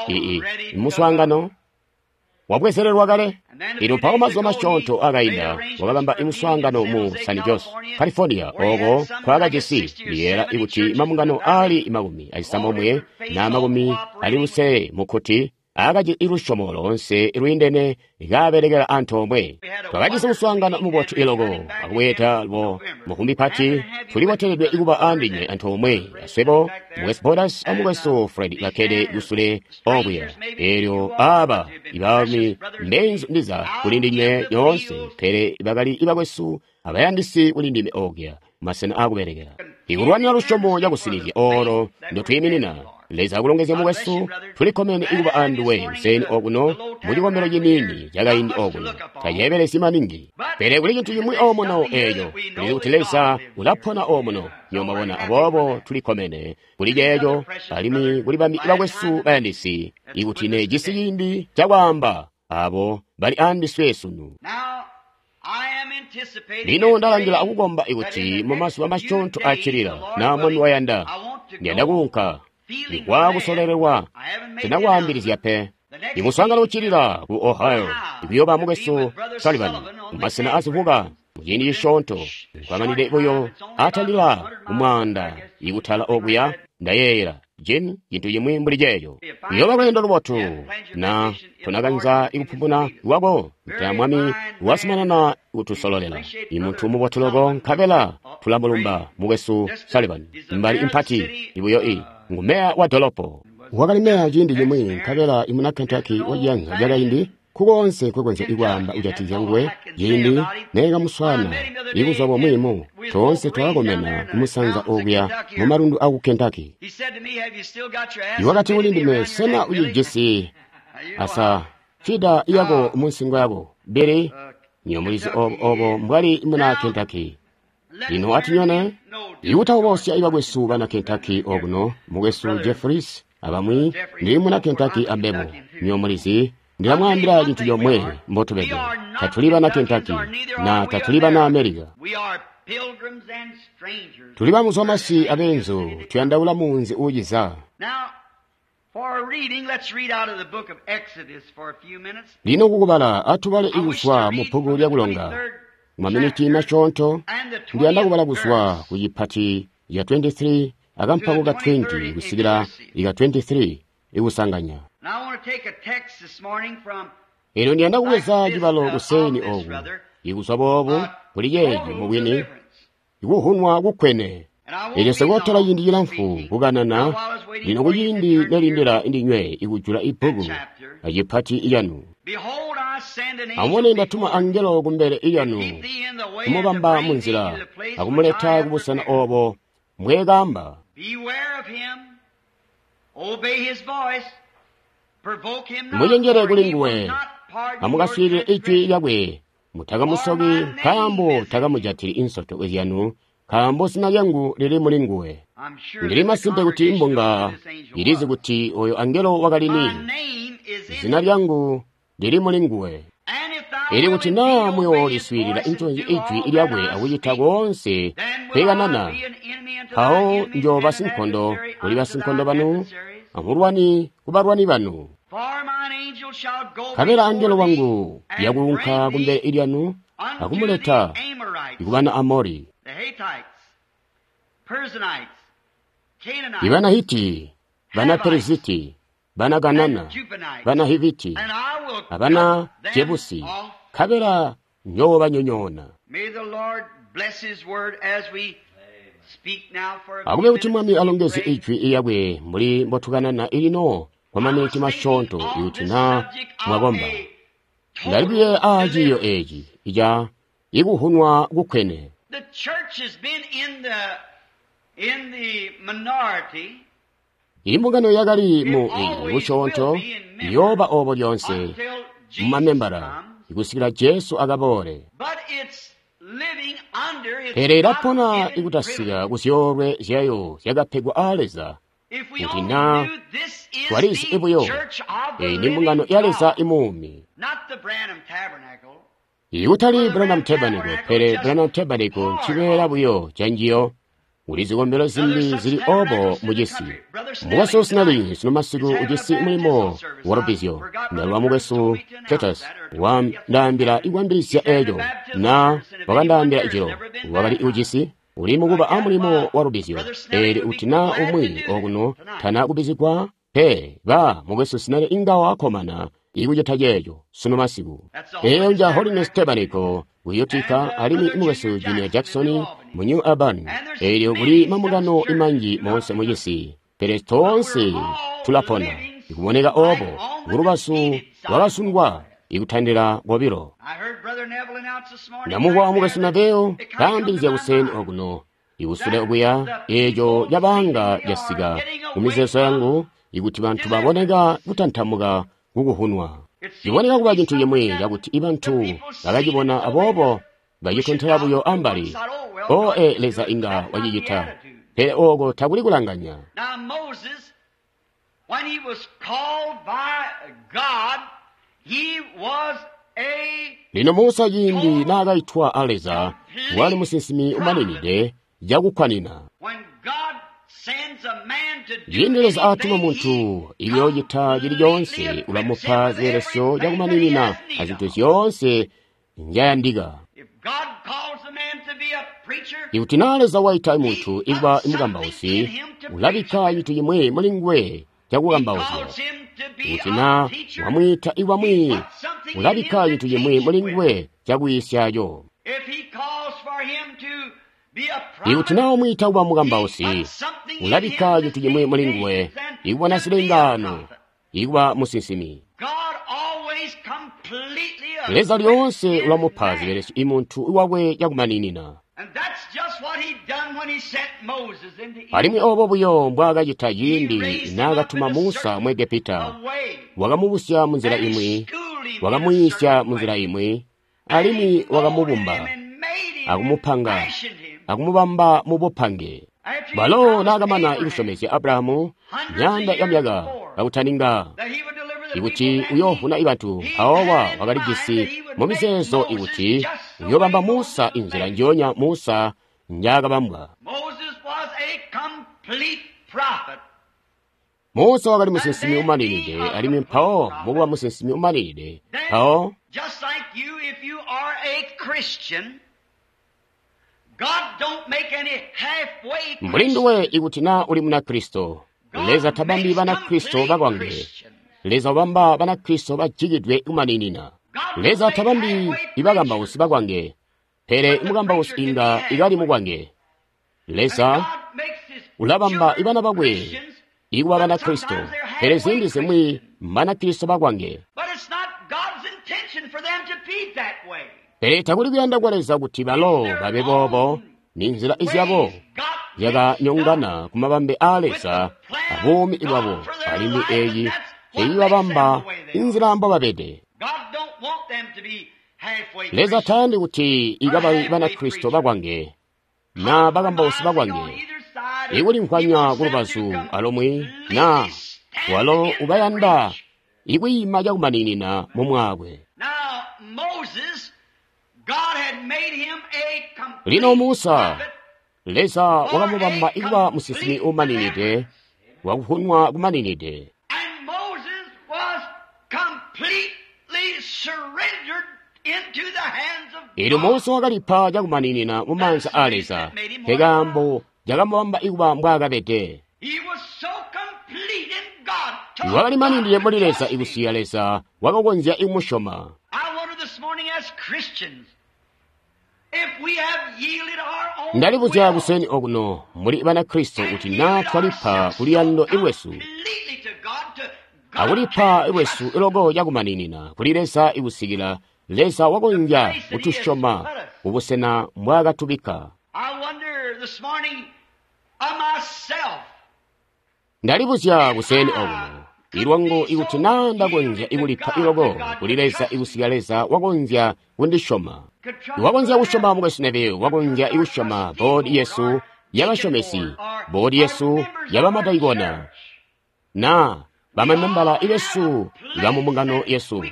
Speaker 1: ii muswaangano wabwezererwa kale. Ilo mpawo mazuba masyoonto akainda wakabamba imuswaangano mu San Jose, California, oko kwakajisi liyeera ikuti mabungano aali makumi acisambomwe na makumi ali lusele mukkuti akaji ilusyomo loonse lwiindene kaabelekela antoomwe. Twakajisi muswaangano mubotu iloko akubweeda lwo mukumbi pati. Tuliboteledwe ikuba andinywe antoomwe aswebo mukwesu Borders amukwesu Fred bakkede kusule okuya. Eelyo aba ibaalumi mbeenzu ndiza kuli ndinywe nyoonse, pele bakali ibakwesu abayandisi kuli ndime okuya masena akubelekela ikulwanira lusyomo cakusinizya olo ndotwiiminina. Leza akulongezye mukwesu, tulikkomene ikuba anduwe kuseni okuno mucikombelo ciniini cakaindi okuno. Taceebelesyi maningi, pele kuli cintu cimwi omuno eeco kuli kuti Leza ulapona omuno nyomabona. Aboobo tulikkomene kuli ceeco, alimwi kuli bambi bakwesu bayandisi ikuti nejisi ciindi cakwaamba abo bali andiswe sunu.
Speaker 2: Now, I am anticipating
Speaker 1: Lino
Speaker 2: and
Speaker 1: ndalangila
Speaker 2: praying
Speaker 1: akukomba
Speaker 2: that in
Speaker 1: ikuti
Speaker 2: the
Speaker 1: mu
Speaker 2: next
Speaker 1: mazuba
Speaker 2: few
Speaker 1: masyoonto
Speaker 2: days,
Speaker 1: accilila
Speaker 2: the Lord
Speaker 1: na Mwami
Speaker 2: willing,
Speaker 1: wayanda
Speaker 2: I want to
Speaker 1: ndiyanda
Speaker 2: go
Speaker 1: kuunka
Speaker 2: feeling
Speaker 1: ikwa
Speaker 2: led.
Speaker 1: kusololelwa.
Speaker 2: I haven't made the
Speaker 1: Sinakwambilizya
Speaker 2: announcement.
Speaker 1: pe.
Speaker 2: The next
Speaker 1: Imuswaangano
Speaker 2: meeting
Speaker 1: uccilila ku Ohio ikuyooba mukwesu
Speaker 2: with Brother
Speaker 1: Sullivan
Speaker 2: Sullivan on the
Speaker 1: mumasena
Speaker 2: campground.
Speaker 1: azivuka Muciindi cisyoonto nkwamanide buyo atandila kumwaanda ikutala okuya, ndayeeyela Jim, cintu cimwi mbuli ceeco. Uyooba lweendo lubotu na tonakanza ikupumuna lwako, nta Mwami wazumanana kutusololela. Imuntu mubotu loko, nkabela tulamulumba mukwesu Sullivan. Mbali impati ibuyo i ngu meya wa dolopo. Wakali meya ciindi cimwi, nkabela imuna Kentucky waciyanza cakaindi, kukoonse nkwekonzya ikwaamba kujatikizya nguwe, ciindi neekamuswaana ibuzuba bumwi mu toonse twakakomena kumusanza okuya mu malundu aku Kentucky. Iwakati kuli ndime, sena ucijisi asa fida yako munsingo yako, Billy? Nyomulizi obo, obo mbwali muna Kentucky. Lino atinyone ikutawubosya ibakwesu bana Kentucky okuno, mukwesu Jeffries abamwi, ndili muna Kentucky ambebo. Nyomulizi ndilamwaambila cintu comwe mbotubede. Tatuli bana Kentucky na tatuli bana America. Tuli bamuzwamasi abeenzu, tuyandaula munzi uuciza. Lino kukubala, atubale ikuzwa mu bbuku lyakulonga. Maminiti masyoonto, ndiyanda kubala kuzwa ku cipati ya twenty-three akampango ka twenty kusikila ika twenty-three ikusanganya. Eno ndiyanda kubweza cibalo kuseni oku, ikuzwa boobu kuli ceeci mubwini, ikuhunwa kukwene. Elyo sikutola ciindi cilamfu kukanana, lino kuciindi nelindila indinywe ikujula ibbuku acipati iyanu. Amubone ndatuma angelo kumbele iyanu, kumubamba munzila, akumuleta kubusena obo mbwekamba. Mucenjele kuli nguwe, amukaswiilile ijwi lyakwe, mutakamusoki, nkaambo takamujatili insoto zyanu, nkaambo zina lyangu lili muli nguwe. Ndili masimpe kuti imbunga ilizi kuti oyo angelo wakali ni. Zina lyangu lili muli nguwe. Ili kuti naa muyooliswiilila inconzi ijwi lyakwe akucita koonse kwekanana, mpawo njooba sinkondo kuli basinkondo banu, amulwani kubalwani banu. Nkabela angelo wangu yakuunka kumbele lyanu akumuleta ikubana Amori, ibana Hiti, bana Periziti, bana Kanana, bana Hiviti, abana Jebusi, nkabela njoobanyonyoona. Akube kuti Mwami alongeze ijwi lyakwe mbuli mbotukanana ilino kwa maminiti masyoonto ikuti naa mwakomba. Ndalibuye aa ciiyo eeci ica ikuhunwa kukwene. Imbungano yakali mu busyoonto iyooba obo lyonse mumamembala ikusikila Jesu akaboole. Pele ilapona ikutasika kuzyoolwe zyayo zyakapegwa aa Leza. Kuti naa twalizi ibuyo, eyi ni mbungano ya Leza imuumi. Ikutali Branham Tabernacle, pele Branham Tabernacle ncibeela buyo canjiyo. Kuli zikombelo zimbi zili obo mucisi. Mukwesu Snelling sino masiku ujisi mulimo wa lubizyo. Ndalwa mukwesu Titus wandaambila ikwambilizya eeco, na wakandaambila ijilo wakali ujisi uli mukuba a mulimo wa lubizyo. Eelyo kuti naa umwi okuno tana kubizigwa pe, ba mukwesu Snelling inga wakkomana ikucita ceeco sino masiku. Eeyo nja Holiness Tabernacle ku Utica, alimwi mukwesu Junior Jackson mu New Albany. Eelyo kuli mambungano imanji moonse mucisi, pele toonse tulapona ikuboneka obo kulubazu lwakasungwa ikutandila kobilo. Ndamumvwa mukwesu Neville kaambilizya kuseni okuno ikusule okuya, eeco cabaanga casika mumizeezo yangu ikuti bantu baboneka kutantamuka kukuhunwa. Ciboneka kuba cintu cimwi cakuti ibantu bakacibona aboobo bacitontela buyo ambali. O e Leza inga wacicita, pele ooko takuli kulanganya. Lino Musa ciindi naakaitwa a Leza, wali musinsimi umaninide cakukwanina. Ciindi Leza atuma muntu iyoocita cili coonse, ulamupa zibelesyo cakumaninina azintu zyoonse nzyayandika. Ikuti naa Leza waita muntu ikuba mukambausi, ulabikka cintu cimwi muli nguwe cakukambauzya. Ikuti naa wamwiita ikuba mwiiyi, ulabikka cintu cimwi muli nguwe cakuyiisyaco. Ikuti naa wamwiita kuba mukambausi, ulabikka cintu cimwi muli nguwe ikubona zilengaano, ikuba musinsimi. Leza lyoonse ulamupa zibelesyo imuntu wakwe cakumaninina. Alimwi oobo buyo mbwaakacita ciindi naakatuma Musa mu Egepita. Wakamubusya munzila imwi, wakamuyiisya munzila imwi, alimwi wakamubumba, akumupanga, akumubamba mubupange. Balo naakamana ikusyomezya Abrahamu myaanda yamyaka kakutaninga ikuti uyoovuna ibantu, mpawowa wakalijisi mumizeezo ikuti uyoobamba Musa inzila njoonya Musa njaakabambwa. Musa wakali musinsimi umaninide, alimwi mpawo mukuba musinsimi umaninide, mpawo mbuli nduwe ikuti naa uli Munakristo, Leza tabambi Banakristo bakwange. Leza ubamba Banakristo bajikidwe kumaninina. Leza tabambi ibakambausi bakwange, pele imukambausi inga ikali mukwange. Leza ulabamba ibana bakwe ikuba Banakristo, pele ziindi zimwi Banakristo bakwange. Pele takuli kuyanda kwa Leza kuti balo babe boobo, ni nzila izyabo zyakanyongana ku mabambe aa Leza abuumi bwabo, alimwi eeyi eibabamba inzila mbobabede. Leza tayandi kuti ikababe Banakristo bakwange na bakambausi bakwange, ikulimvwanya kulubazu alomwe na walo ubayanda ikwiima cakumaninina mumwaakwe. Lino Musa, Leza wakamubamba ikuba musinsimi umaninide, wakuvunwa kumaninide. Eelyo Musa wakalipa cakumaninina mumaanza aa Leza, nkaambo cakamubamba ikuba mbwaakabede. Wakalimaninide muli Leza ikusiya Leza wakakonzya ikumusyoma. Ndalibuzya kuseni okuno muli Banakristo kuti naa twalipa kuluyando ilwesu akulipa ilwesu iloko cakumaninina kuli Leza ikusikila Leza wakonzya kutusyoma kubusena mbwaakatubikka. Ndalibuzya kuseni okuno ilwangu ikuti naa ndakonzya ikulipa iloko kuli Leza ikusikila Leza wakonzya kundisyoma. Wakonzya kusyoma mukwesu Neville, wakonzya ikusyoma boodi yesu yabasyomesi, boodi yesu yabamadaikona, na bamamembala ibesu bamumbungano yesu.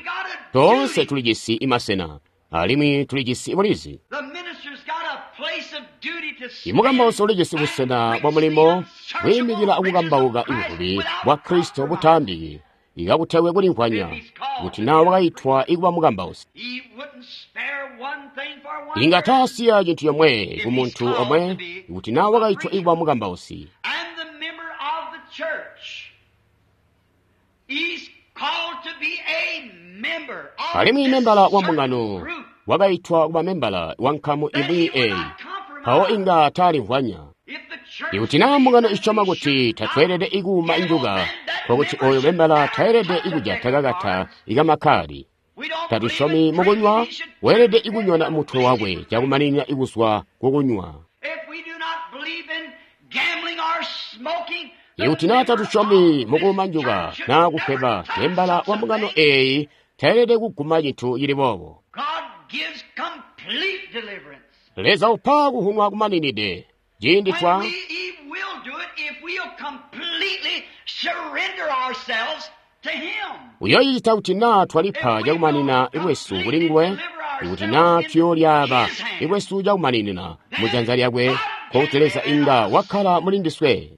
Speaker 1: Toonse tulijisi imasena, alimwi tulijisi bulizi. Imukambausi ulijisi busena bwa mulimo bwiimikila akukambauka ibuvubi bwa Kristo butaambiki, ikakutewe kulimvwanya kuti naa wakaitwa ikuba mukambausi. Inga taasiya cintu comwe ku muntu omwe kuti naa wakaitwa ikuba mukambausi. Alimwi membala wa mbungano wakaitwa kuba membala wa nkamu imwi eeyi, mpawo inga taalimvwanya. Ikuti naa mbungano isyoma kuti tatweelede ikuuma injuka, nkokuti oyo membala tayelede ikujata kakata ikamakkaadi. Tatusyomi mukunywa, weelede ikunyona mutwe wakwe cakumaninina ikuzwa kukunywa. Ikuti naa tatusyomi mukuuma njuka naa kufweba, membala wa mbungano eeyi tayelede kuguma cintu cili boobo. Leza upa kuhunwa kumaninide ciindi twa uyoocita kuti naa twalipa cakumanina lwesu kuli nguwe, ikuti naa tuyoolyaaba lwesu cakumaninina mujanza lyakwe, nkokuti Leza inga wakkala muli ndiswe.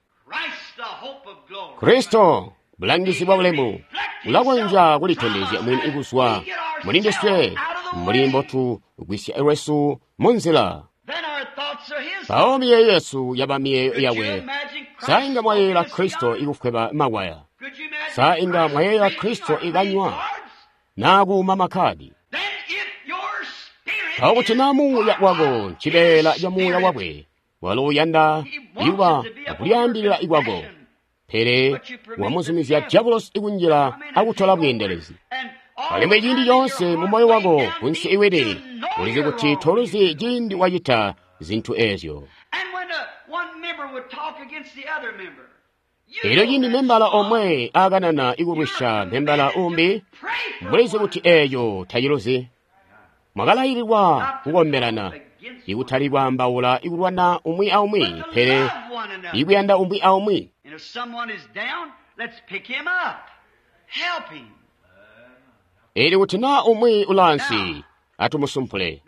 Speaker 1: Kristo, bulangizi bwa bulemu, ulakonzya kulitondezya mwini kuzwa muli ndiswe mbuli mbotugwisya lwesu munzila. Mpawo miyeeyo yesu yaba miyeeyo yakwe. Sa inga mwayeeyela Kristo ikufweba makwaya? Sa inga mwayeeyela Kristo ikanywa naa kuuma makkadi? Mpawo kuti naa muuya wako ncibeela ca muuya wakwe, walo uyanda ikuba akulyaambilila ikwako, pele wamuzumizya dyabulosi ikunjila akutola bweendelezi. Alimwi ciindi coonse mu moyo wako kunsi iwini, ulizi kuti toluzi ciindi wacita zintu eezyo. Elyo ciindi membala omwe akanana ikulwisya membala umbi, mulizi kuti eeyo taciluzi. Mwakalaililwa kukombelana, ikutali kwaambaula ikulwana umwi aumwi, pele ikuyanda umwi aumwi. Elyo kuti naa umwi ulaansi, atumusumpule,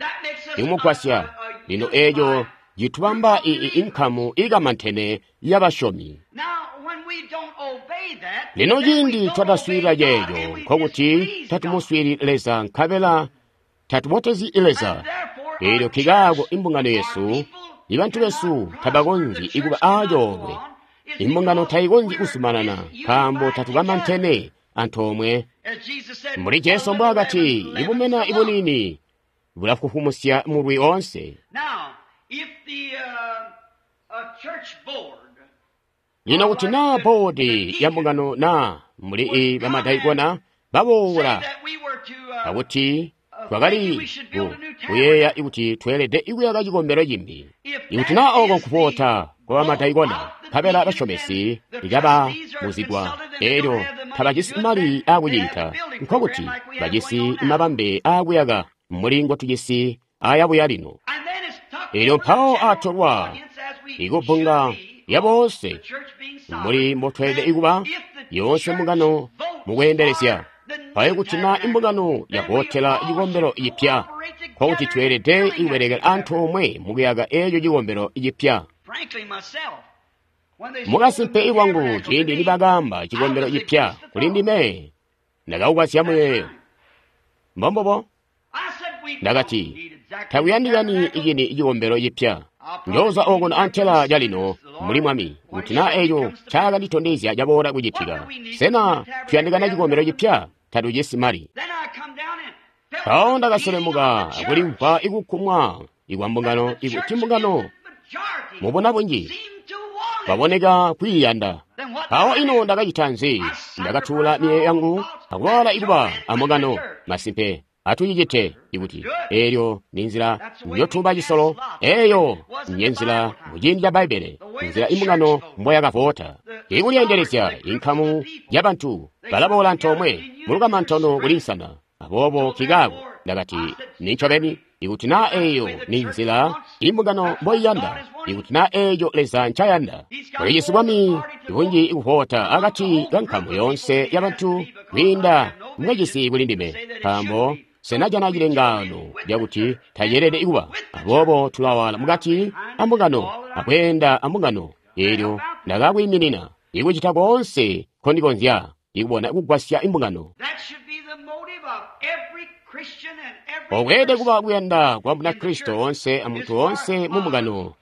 Speaker 1: ikumugwasya. Lino eeco citubamba inkamu ikamantene y'abasyomi. Lino ciindi twataswiilila ceeco, nkokuti tatumuswiilili Leza nkabela tatubotezyi Leza. Elyo nkikaako imbungano yesu, ibantu besu tabakonzyi ikuba aacoolwe. Imbungano tayikonzyi kuzumanana nkaambo tatukamantene antoomwe. Mbuli Jesu mbwaakati, ibumena ibuniini bulafufumusya mulwi oonse. Lino kuti naa boodi ya mbungano naa mbuli bamadaikona baboola akuti twakali kuyeeya kuti tweelede ikuyaka cikombelo cimbi. Ikuti naa ooko nkuvoota kwa bamadaikona, nkabela basyomesi ikababuzigwa, elyo tabajisi mali aakucita, nkokuti bajisi mabambe aakuyaka mbuli ngotujisi ayabuya lino. Elyo mpawo atolwa ikubbunga lyaboonse mbuli mbotweelede ikuba yoonse mbungano mukweendelezya. Mpawo kuti naa imbungano yavootela cikombelo cipya, nkokuti tweelede ikubelekela antoomwe mukuyaka eeco cikombelo cipya. Mukasimpe ilwangu ciindi nibakaamba cikombelo cipya kuli ndime, ndakaukazya muyeeyo. Mbombubo, ndakati, takuyandikani icini cikombelo cipya. Njooza okuno antela calino muli Mwami, kuti naa eeco ncaakanditondezya caboola kucitika. Sena tuyandikana cikombelo cipya? Tatujisi mali. Mpawo ndakaselemuka akulimvwa ikukumwa ikwa mbungano ikuti mbungano mubona bunji baboneka kwiiyanda. Mpawo ino ndakacita nzi? Ndakatuula miyeeyo yangu akuwala ikuba ambungano. Masimpe atucicite ikuti eelyo ni nzila njotuba cisolo, eeyo nje nzila muciindi ca Bbaibbele, nzila imbungano mboyakavoota. Ikulyeendelezya inkamu yabantu balaboola antoomwe mulukamantano kuli nsana. Aboobo kikaako ndakati nincobeni, ikuti naa eeyo ni nzila imbungano mboiyanda, ikuti naa eeyo Leza ncayanda. Ulijisi bwami bunji ikuvoota akati kankamu yoonse yabantu kwiinda mwejisi kuli ndime, nkaambo senajana cilengaano lyakuti taceelede ikuba. Aboobo tulawala mukati ambungano akweenda ambungano. Eelyo ndakakwiiminina ikucita koonse nkondikonzya ikubona kugwasya imbungano. Okweelede kuba kuyanda kwa Munakristo woonse amuntu woonse mumbungano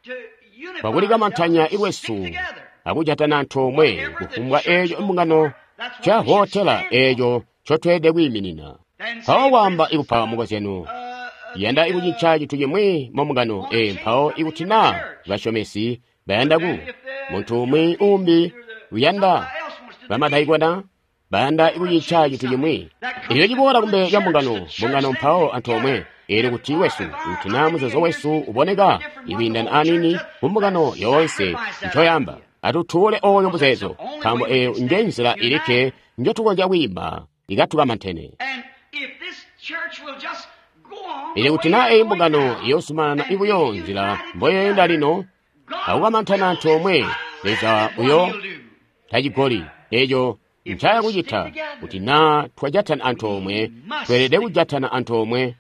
Speaker 1: kwakulikamantanya ilwesu akujatana antoomwe kufumbwa eeco imbungano ncavootela eeco ncotweelede kwiiminina. Mpawo kwaamba ikupa mukozyano, yanda ikucinca cintu cimwi mumbungano ee mpawo ikuti naa basyomesi bayanda ku muntu umwi uumbi uyanda bamadaikona bayanda ikucinca cintu cimwi, elyo ciboola kumbele lya mbungano, mbungano mpawo antoomwe. Eelyo kuti wesu, kuti naa muzeezo wesu uboneka ikwiindana aniini kumbungano yoonse ncoyamba, atutuule ooyo muzeezo, nkaambo eeyo nje nzila ilikke njotukonzya kwiima ikatukamantene. Eelyo kuti naa eeyi mbungano iyoozumanana ibuyo nzila mboyeenda lino akukamantana antoomwe, Leza uyo tacigoli eeco ncaya kucita. Kuti naa twajatana antoomwe, tweelede kujatana antoomwe.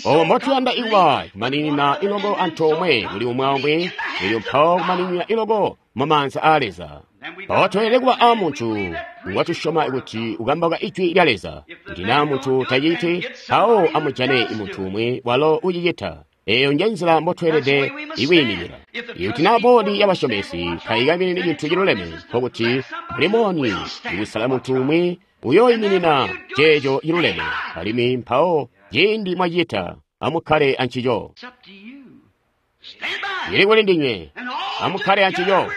Speaker 1: Obo mbotuyanda ikuba kumaninina iloko antoomwe kuli umwi aumwi, elyo mpawo kumaninina iloko mumaanza aa Leza. Mpawo tweelede kuba aamuntu ngwatusyoma kuti ukambauka ijwi lya Leza. Kuti naa muntu taciti, mpawo amujane muntu umwi walo ucicita. Eyo nje nzila mbotweelede ikwiimikila. Ikuti naa boodi yabasyomesi taikaminini cintu ciluleme, nkokuti mulimoni ikusala muntu umwi uyooyiminina ceeco ciluleme, alimwi mpawo ciindi mwacita amukkale ancico. Cili kuli ndinywe, amukkale ancico.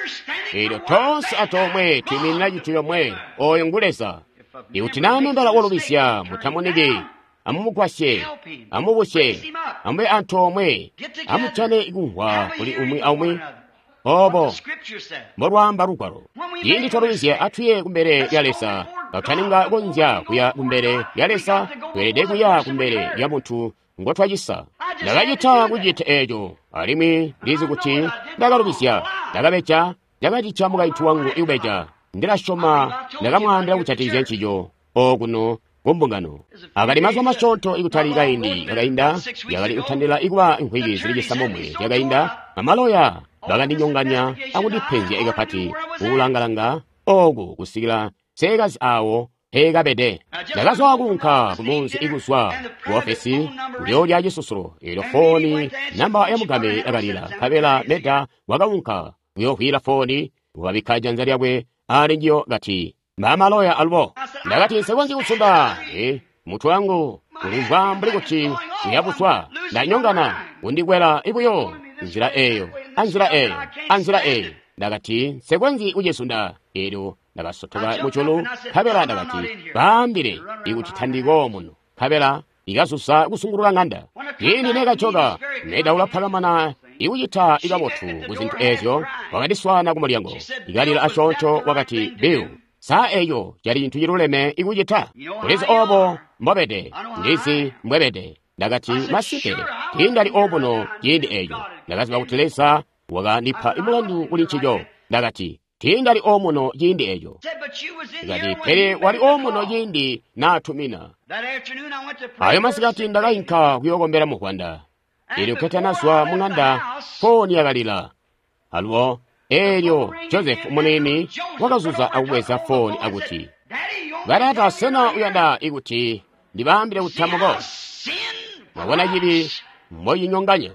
Speaker 1: Eelyo toonse antoomwe twiiminina cintu comwe, oyo ngu Leza. Ikuti naa membala wolubizya, mutamuniki, amumugwasye, amubusye, amube antoomwe, amujane kumvwa kuli umwi aumwi. Obo mbolwaamba Lugwalo. Ciindi twalubizya, atuye kumbele lya Leza. Katutaninga konzya kuya kumbele lya Leza, tweelede kuya kumbele lya muntu ngotwacisa. Ndakacita kucita eeco, alimwi ndizi kuti ndakalubizya, ndakabeja, ndakacica mukaintu wangu ikubeja. Ndilasyoma ndakamwaambila kujatikizya ncico okuno kumbungano. Akali mazuba masyoonto ikutali kaindi kakainda, yakali kutandila ikuba nkwiki zili cisambomwe zyakainda, amaloya bakandinyonganya akundipenzya ikapati kukulangalanga oku kusikila seekazi awo peekabede. Ndakazwa kuunka kumunzi ikuzwa ku ofesi kuyoolya cisusulo, eelyo fooni namba ya mugame yakalila, nkabela Meda wakaunka kuyoovwiila fooni, wakabikka janza lyakwe ali njiyo kati, "Mbamaloya alubo." Ndakati, "Nsikonzyi kusunda, e, mutwe wangu ulimvwa mbuli kuti uyabuswa, ndanyongana, undikwela ibuyo nzila eyo, anzila eyo, anzila eyo." Ndakati, "Nsikonzyi kucisunda." Eelyo ndakasotoka muculu, nkabela ndakati, "Baambile ikuti tandiko muno." Nkabela ikazuza kusungulula ng'anda. Ciindi nekajoka, Meda ulaphakamana ikucita ikabotu ku zintu eezyo, wakandiswaana ku mulyango. Ikalila asyoonto wakati, "Bill, saa eeyo cali cintu ciluleme ikucita? Ulizi obo mbobede, ndizi mbwebede." Ndakati, "Masimpe, tiindali obuno ciindi eeco. Ndakaziba kuti Leza wakandipa mulandu kuli ncico." Ndakati, "Tiindali omuno ciindi eeco." Ndakati, "Pele wali omuno ciindi naatumina." Ayo masikati ndakainka kuyookombela muvwanda. Eelyo katanazwa mung'anda, fooni yakalila. Alubo eelyo Joseph muniini wakazuza akubweza fooni akuti, "Batata, sena uyanda ikuti ndibaambile kuti tamuko? Mwabona cibi mbocinyonganya.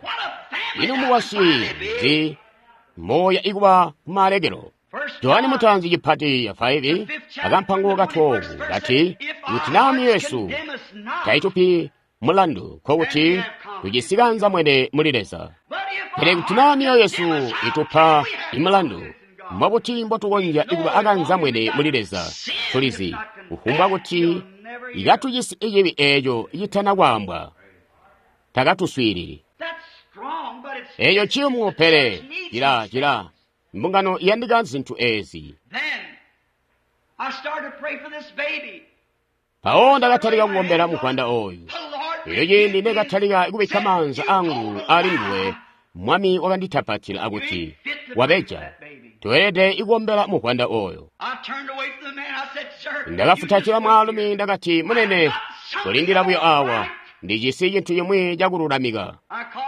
Speaker 1: Ino mukwasyi nzi moya ikuba kumalekelo?" Johani mutanzi cipati ya faivi akampango ka twelve kati, "Kuti naa myoyo yesu taitupi mulandu, nkokuti tujisi kanzamwene muli Leza. Pele kuti naa myoyo yesu itupa imulandu, mbobuti mbotukonzya ikuba akanzamwene muli Leza? Tulizi kufumbwa kuti ikatujisi icibi eeco citana kwaambwa, takatuswiilili." Eeco ciyumu, pele cila cila mbungano iyandika zintu eezi. Mpawo ndakatalika kukombela muvwanda oyu. Eelyo ciindi nekatalika kubikka maanza angu ali nguwe, Mwami wakanditapatila akuti, "Wabeja, toelede ikukombela muvwanda oyo." Ndakafutatila mwaalumi, ndakati, "Munene, kolindila buyo awa, ndijisi cintu cimwi cakululamika."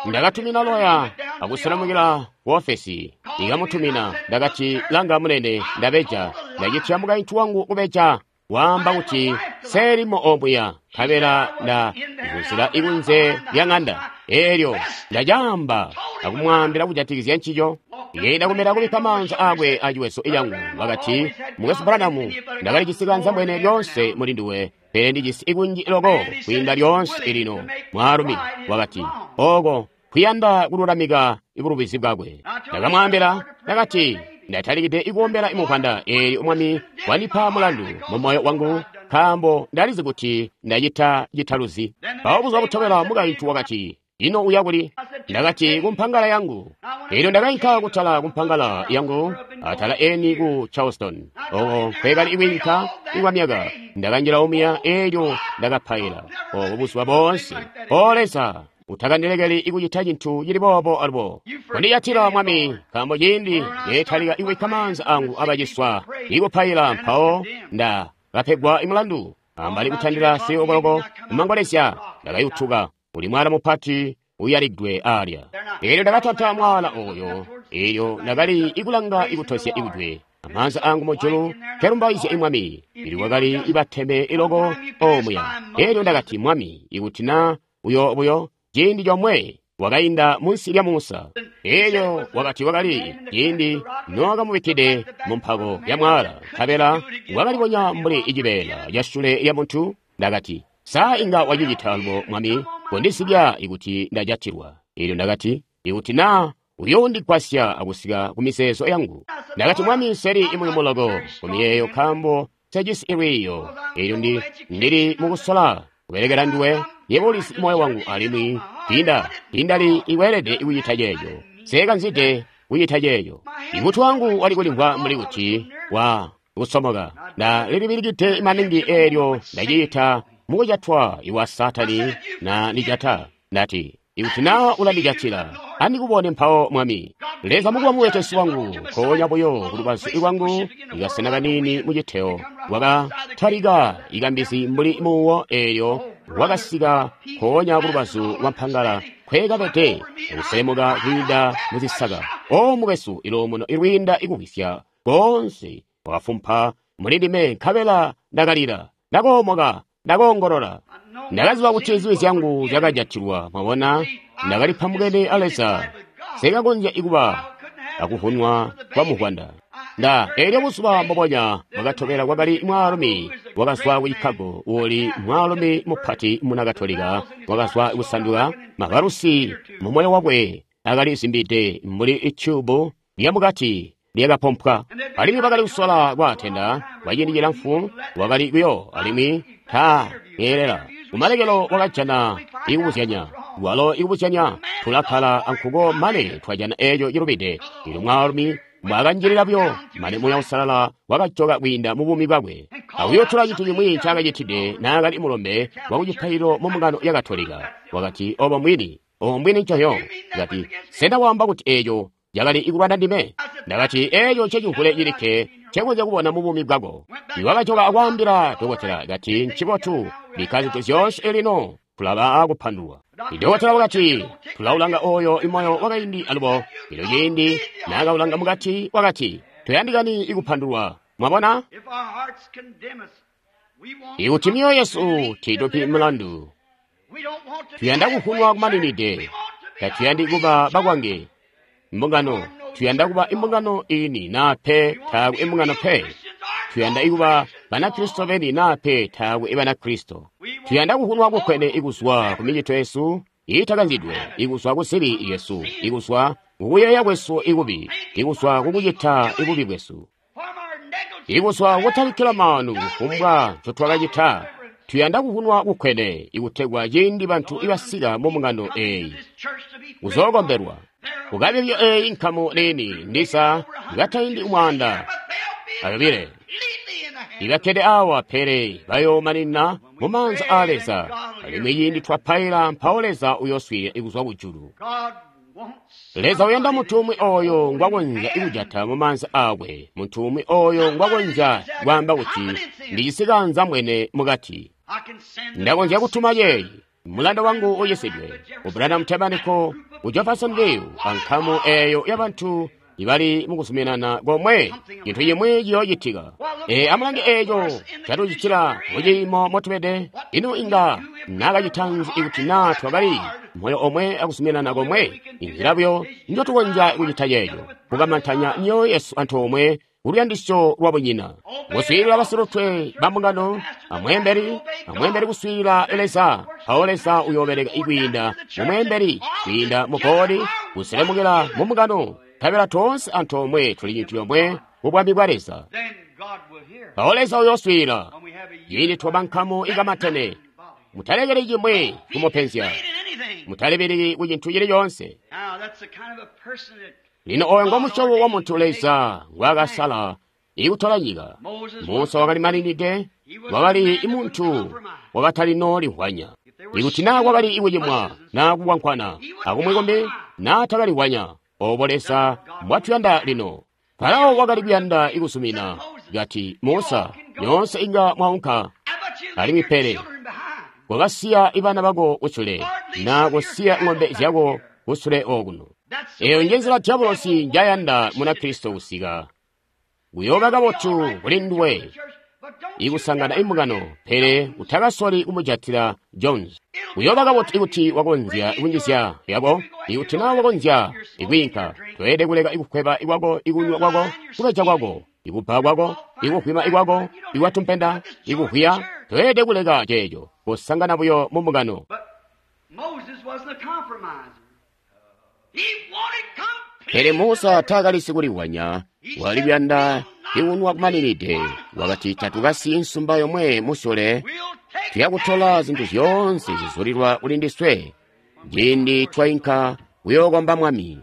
Speaker 1: Ndakatumina loya akuselamukila ku ofesi, ikamutumina. Ndakati, "Langa munene, ndabeja, ndacitya mukaintu wangu kubeja, waamba kuti selimo omuya, nkabela ndazuzila ikunze lya ng'anda. Eelyo ndacaamba akumwaambila kujatikizya ncico." Yenda kumela kubikka maanza akwe aciweso cangu, wakati, "Mukwesu Branham, ndakalijisi kanzambwene lyoonse muli nduwe, pele ndijisi ikunji loko kwiinda lyoonse lino." Mwaalumi wakati, "Oko kuyanda kululamika ibulubizi bwakwe." Ndakamwaambila, ndakati, "Ndatalikide ikuombela imuvwanda, eelyo Mwami wandipa mulandu mu moyo wangu, nkaambo ndalizi kuti ndacita citaluzi." Mpawo buzuba butobela mukaintu wakati, "Ino uya kuli?" Ndakati, "Kumpangala yangu." Eelyo ndakainka kutala kumpangala yangu, atala eni ku Charleston, oko nkwekali ikwiinka ikwa myaka. Ndakanjila omuya, eelyo ndakapaila obo buzuba boonse. "O Leza, utakandilekeli ikucita cintu cili boobo alubo. Kondijatila Mwami, nkaambo ciindi neetalika ikubikka maanza angu abaciswa ikupaila, mpawo nda kapegwa imulandu." Ambali kutandila siyokoloko kumangolezya, ndakayutuka uli mwala mupati uyaligwe alya. Eelyo ndakatanta mwala oyo, eelyo ndakali ikulanga ikutosya ikujwe, amaanza angu mujulu kelumbaizya imwami, ili kwakali ibateme iloko omuya. Eelyo ndakati, "Mwami, ikuti na uyo buyo ciindi comwe Wakainda munsi lya Musa. Elyo wakati wakali ciindi nowakamubikkide mu mpako ya mwaala, nkabela wakalibonya mbuli icibeela ca syule lya muntu. Ndakati, sa inga wacicita alubo, Mwami? Kondisibya ikuti ndajatilwa. Elyo ndakati, ikuti na uyoondigwasya akusika ku mizeezo yangu. Ndakati, Mwami, nseli imuyumu loko ku miyeeyo nkaambo sejisi ilwiiyo. Elyo ndi ndili mukusola kubelekela nduwe. Yebo ulizi moyo wangu alimwi tinda tindali iweelede kucita ceeco. Sekanzide kucita ceeco. Imutwe wangu wali kulimvwa mbuli kuti wa kusomoka. Nda lilibilikide maningi eelyo ndaciita mukujatwa iwa Satani na ndijata. Ndati, ikuti na ulandijatila, andikubone mpawo, Mwami. Leza mukuba muwetesi wangu, nkoonya buyo kulubazu lwangu, ikasena kanini muciteo, wakatalika ikambizi mbuli muuwo eelyo wakasika nkoonya kulubazu lwa mpangala nkweekabede, akuselemuka kwiinda muzisaka. O mukwesu, iluumuno ilwiinda ikuwisya koonse wakafumpa muli ndime, nkabela ndakalila, ndakoomoka, ndakoongolola. Ndakaziba kuti zibi zyangu zyakajatilwa. Mwabona, ndakalipambukene a Leza, sekakonzya ikuba akuvunwa kwa muvwanda. Nda elyo buzuba mbubonya bwakatobela kwakali mwaalumi wakazwa ku Chicago, uuli mwaalumi mupati muna Katolika, wakazwa kusanduka mavalusi mu moyo wakwe akali zimbide mbuli ityubu lyamukati lyakapompwa. Alimwi bakali kusola kwaatenda kwa ciindi cilamfu, wakali kuyo alimwi ta keelela. Kumalekelo wakajana ikubuzyanya, walo ikubuzyanya tulakkala ankuko mane twajana eeco cilubide. Elyo mwaalumi mbwakanjilila buyo mane Muuya Uusalala wakajoka kwiinda mu buumi bwakwe. Akuyotula cintu cimwi ncaakacitide naakali mulombe wakucipaililo mu mbungano ya Katolika. Wakati, obo mwini, obo mbwini ncoyo. Kati, sena waamba kuti eeco cakali ikulwana ndime? Ndakati, eeco ncecimvule cilikke ncekonzya kubona mu buumi bwako. Iwakajoka akwaambila dokotela, kati, ncibotu, bikka zintu zyoonse lino, tulaba akupandulwa. Dokotela wakati, tulaulanga oyo imoyo wakaindi alubo. Elyo ciindi naakaulanga mukati, wakati, toyandikani ikupandulwa. Mwabona?
Speaker 2: If our hearts condemn us, we want
Speaker 1: Ikuti myoyo yesu tiitupi mulandu,
Speaker 2: we don't want to be
Speaker 1: tuyanda
Speaker 2: halfway
Speaker 1: kufunwa kumaninide.
Speaker 2: church. We want to be
Speaker 1: Tatuyandi kuba bakwange imbungano, tuyanda kuba imbungano ini nape taaku imbungano pe. Tuyanda ikuba Banakristo beni nape taaku Ibanakristo. Tuyanda kufunwa kukwene ikuzwa ku micito yesu iitakanzidwe, ikuzwa ku zibi yesu, ikuzwa kukuyeeya kwesu ikubi, ikuzwa kukucita ikubi bwesu,
Speaker 2: from our negligence.
Speaker 1: ikuzwa kutabikkila maanu kufumbwa ncotwakacita. Tuyanda kufunwa kukwene ikutegwa ciindi bantu ibasika mu mbungano eeyi
Speaker 2: This church to be
Speaker 1: kuzookombelwa kukabibyo eeyi nkamu nini ndisa ikataindi umwanda
Speaker 2: but they'll be
Speaker 1: ayobile
Speaker 2: completely in the hands
Speaker 1: ibakkede awa pele bayoomanina mu maanza aa Leza. Alimwi ciindi twapaila mpawo Leza uyooswiilila ikuzwa kujulu.
Speaker 2: God wants
Speaker 1: Leza uyanda munthu umwe oyo ngwakonzya ikujata mu maanza akwe, munthu umwe oyo ngwakonzya kwaamba kuti ndicisikanza mwene mukati.
Speaker 2: I can send
Speaker 1: Ndakonzya kutuma yeeyi mulanda wangu uyisidwe ku Branham Tabernacle ku Jeffersonville ankamu eeyo yabantu ibali mukuzuminana komwe chinthu chimwe chiyochitika. E, amulange eecho chatuchitira muchiimo motubede. Inu inga nakachitanzi ikuti na twakali moyo omwe akuzuminana komwe. Inzira buyo njotukonzya kuchita cheecho kukamantanya myoyo yesu anthu omwe kuluyandisyo lwa bunyina, kuswiilila basilutwe ba mbungano, amweembeli amweembeli kuswiilila Leza. Mpawo Leza uyoobereka ikwiinda mumweembeli, kwiinda mu boodi, kuselemukira mu mbungano, nkabela toonse antoomwe tuli cintu comwe mu bwami bwa Leza.
Speaker 2: Then God will hear.
Speaker 1: Mpawo Leza uyooswiilila
Speaker 2: When we have a
Speaker 1: ciindi twaba nkamu ikamatene. Mutalekeli chimwe kumupenzya,
Speaker 2: in anything.
Speaker 1: mutalibiriki ku chinthu chilichonse.
Speaker 2: Now that's the kind of a person that
Speaker 1: Lino oyo ngomusyobo wa munthu Leza ngwaakasala ikutola nyika. Musa wakali maninide, wakali imunthu wakatalino limvwanya. Ikuti naa kwakali ikucimwa naa kukwankwana akumwi kumbi naa takalihwanya, obo Leza mbwatuyanda lino. Farao wakali kuyanda ikusumina, kati Musa, nyoonse inga mwaunka,
Speaker 2: How about you leave
Speaker 1: alimwi
Speaker 2: your
Speaker 1: pele
Speaker 2: children behind?
Speaker 1: kwakasiya ibana bako kusule na kusiya ng'ombe zyako kusule okuno.
Speaker 2: That's the
Speaker 1: Eyo
Speaker 2: way
Speaker 1: njenzila
Speaker 2: the
Speaker 1: diabolosi
Speaker 2: devil
Speaker 1: njayanda
Speaker 2: wants
Speaker 1: muna
Speaker 2: to
Speaker 1: Kristo kusika. Kuyooba kabotu kuli nduwe, ikusangana imbungano, pele utakasoli kumujatila Jones. Uyooba kabotu ikuti wakonzya kunjizya yako, ikuti naa wakonzya ikwiinka. Toyelede kuleka ikukweba ikwako, ikunywa kwako, kubeja kwako, ikubba kwako, ikuhwima ikwako, ikwatumpenda, ikuhwiya. Toyelede kuleka ceeco, kusangana buyo mu mbungano. Pele Musa taakali sikuliwanya, wali kuyanda ikunwa kumaninide. Wakati tatukasiyi nsumba yomwe musule, tuyakutola zintu zyoonse zizulilwa kuli ndiswe ciindi twainka kuyookomba Mwami.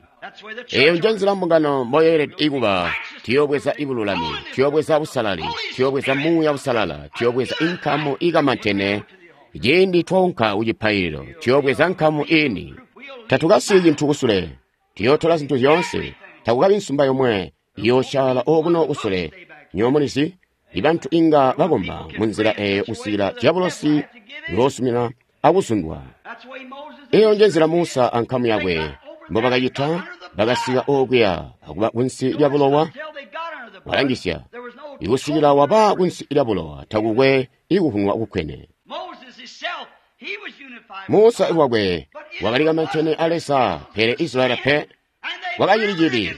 Speaker 1: Eyo nje nzila mbungano mboyeelede ikuba. Tuyoobweza ibululami, tuyoobweza busalali, tuyoobweza muuya busalala, tuyoobweza inkamu ikamantene. Ciindi twaunka kucipaililo, tuyoobweza nkamu ini. Tatukasiyi cintu kusule, tuyootola zintu zyoonse. Takukabi nsumba yomwe iyoosyaala okuno kusule. Nywebo mulizi, ibantu inga bakomba munzila eyo kusikila diabolosi uyoosumina akuzundwa. Eyo nje nzila Musa ankamu yakwe mbobakacita. Bakasika okuya akuba kunsi lya bulowa. Walangisya, ikusikila waba kunsi lya bulowa, takukwe ikuhunwa kukwene. Musa iwakwe wakali kamantene a Leza, pele Israeli pe wakacili cibi.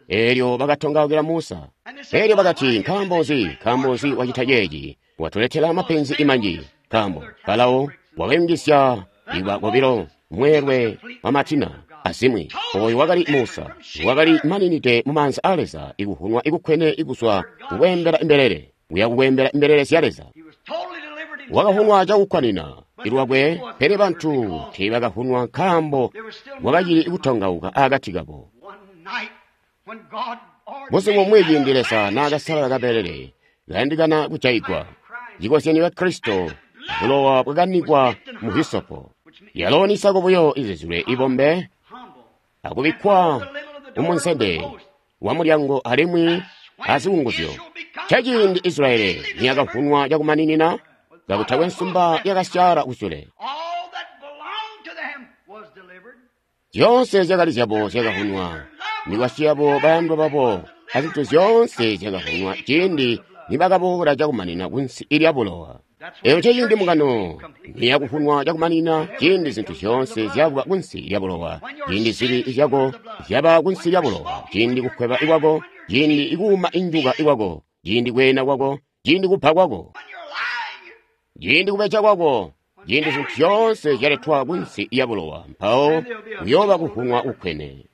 Speaker 1: Eelyo bakatongaukila Musa. Eelyo bakati, nkaambo nzi, nkaambo nzi wacita ceeci? Watuletela mapenzi imanji. Nkaambo Farao wakayungizya iwa kobilo mweelwe wa matina azimwi. Oyo wakali Musa, wakali maninide mu maanza a Leza, ikuhunwa ikukwene ikuzwa kukweembela imbelele, kuya kukweembela imbelele zya Leza. Wakahunwa cakukwanina ilwakwe, pele bantu teebakahunwa nkaambo wakacili kutongauka akati kabo. Busiku bumwi ciindi Leza naakasalala kabelele kayandikana kujaigwa, cikozyanyo ca Kristo, bulowa bwakanikwa mu hisopo. Yalo nisako buyo izizilwe ibombe akubikkwa mumunsende wa mulyango alimwi azikunguzyo. Caciindi Israeli niyakavunwa cakumaninina, kakutakwe nsumba yakasyaala kusule. Zyoonse zyakali zyabo zyakavunwa, mikwasyi yabo, bayandwa babo, azintu zyoonse zyakavunwa ciindi nibakaboola cakumanina kunsi ilya bulowa. Eyo nceciindi mbungano niyakuvunwa cakumanina, ciindi zintu zyoonse zyakuba kunsi lya bulowa, ciindi zibi zyako zyaba kunsi lya bulowa, ciindi kukweba ikwako, ciindi ikuuma injuka ikwako, ciindi kweena kwako, ciindi kupha kwako, ciindi kubeja kwako, ciindi zintu zyoonse zyaletwa kunsi lya bulowa, mpawo kuyooba kuvunwa kukwene.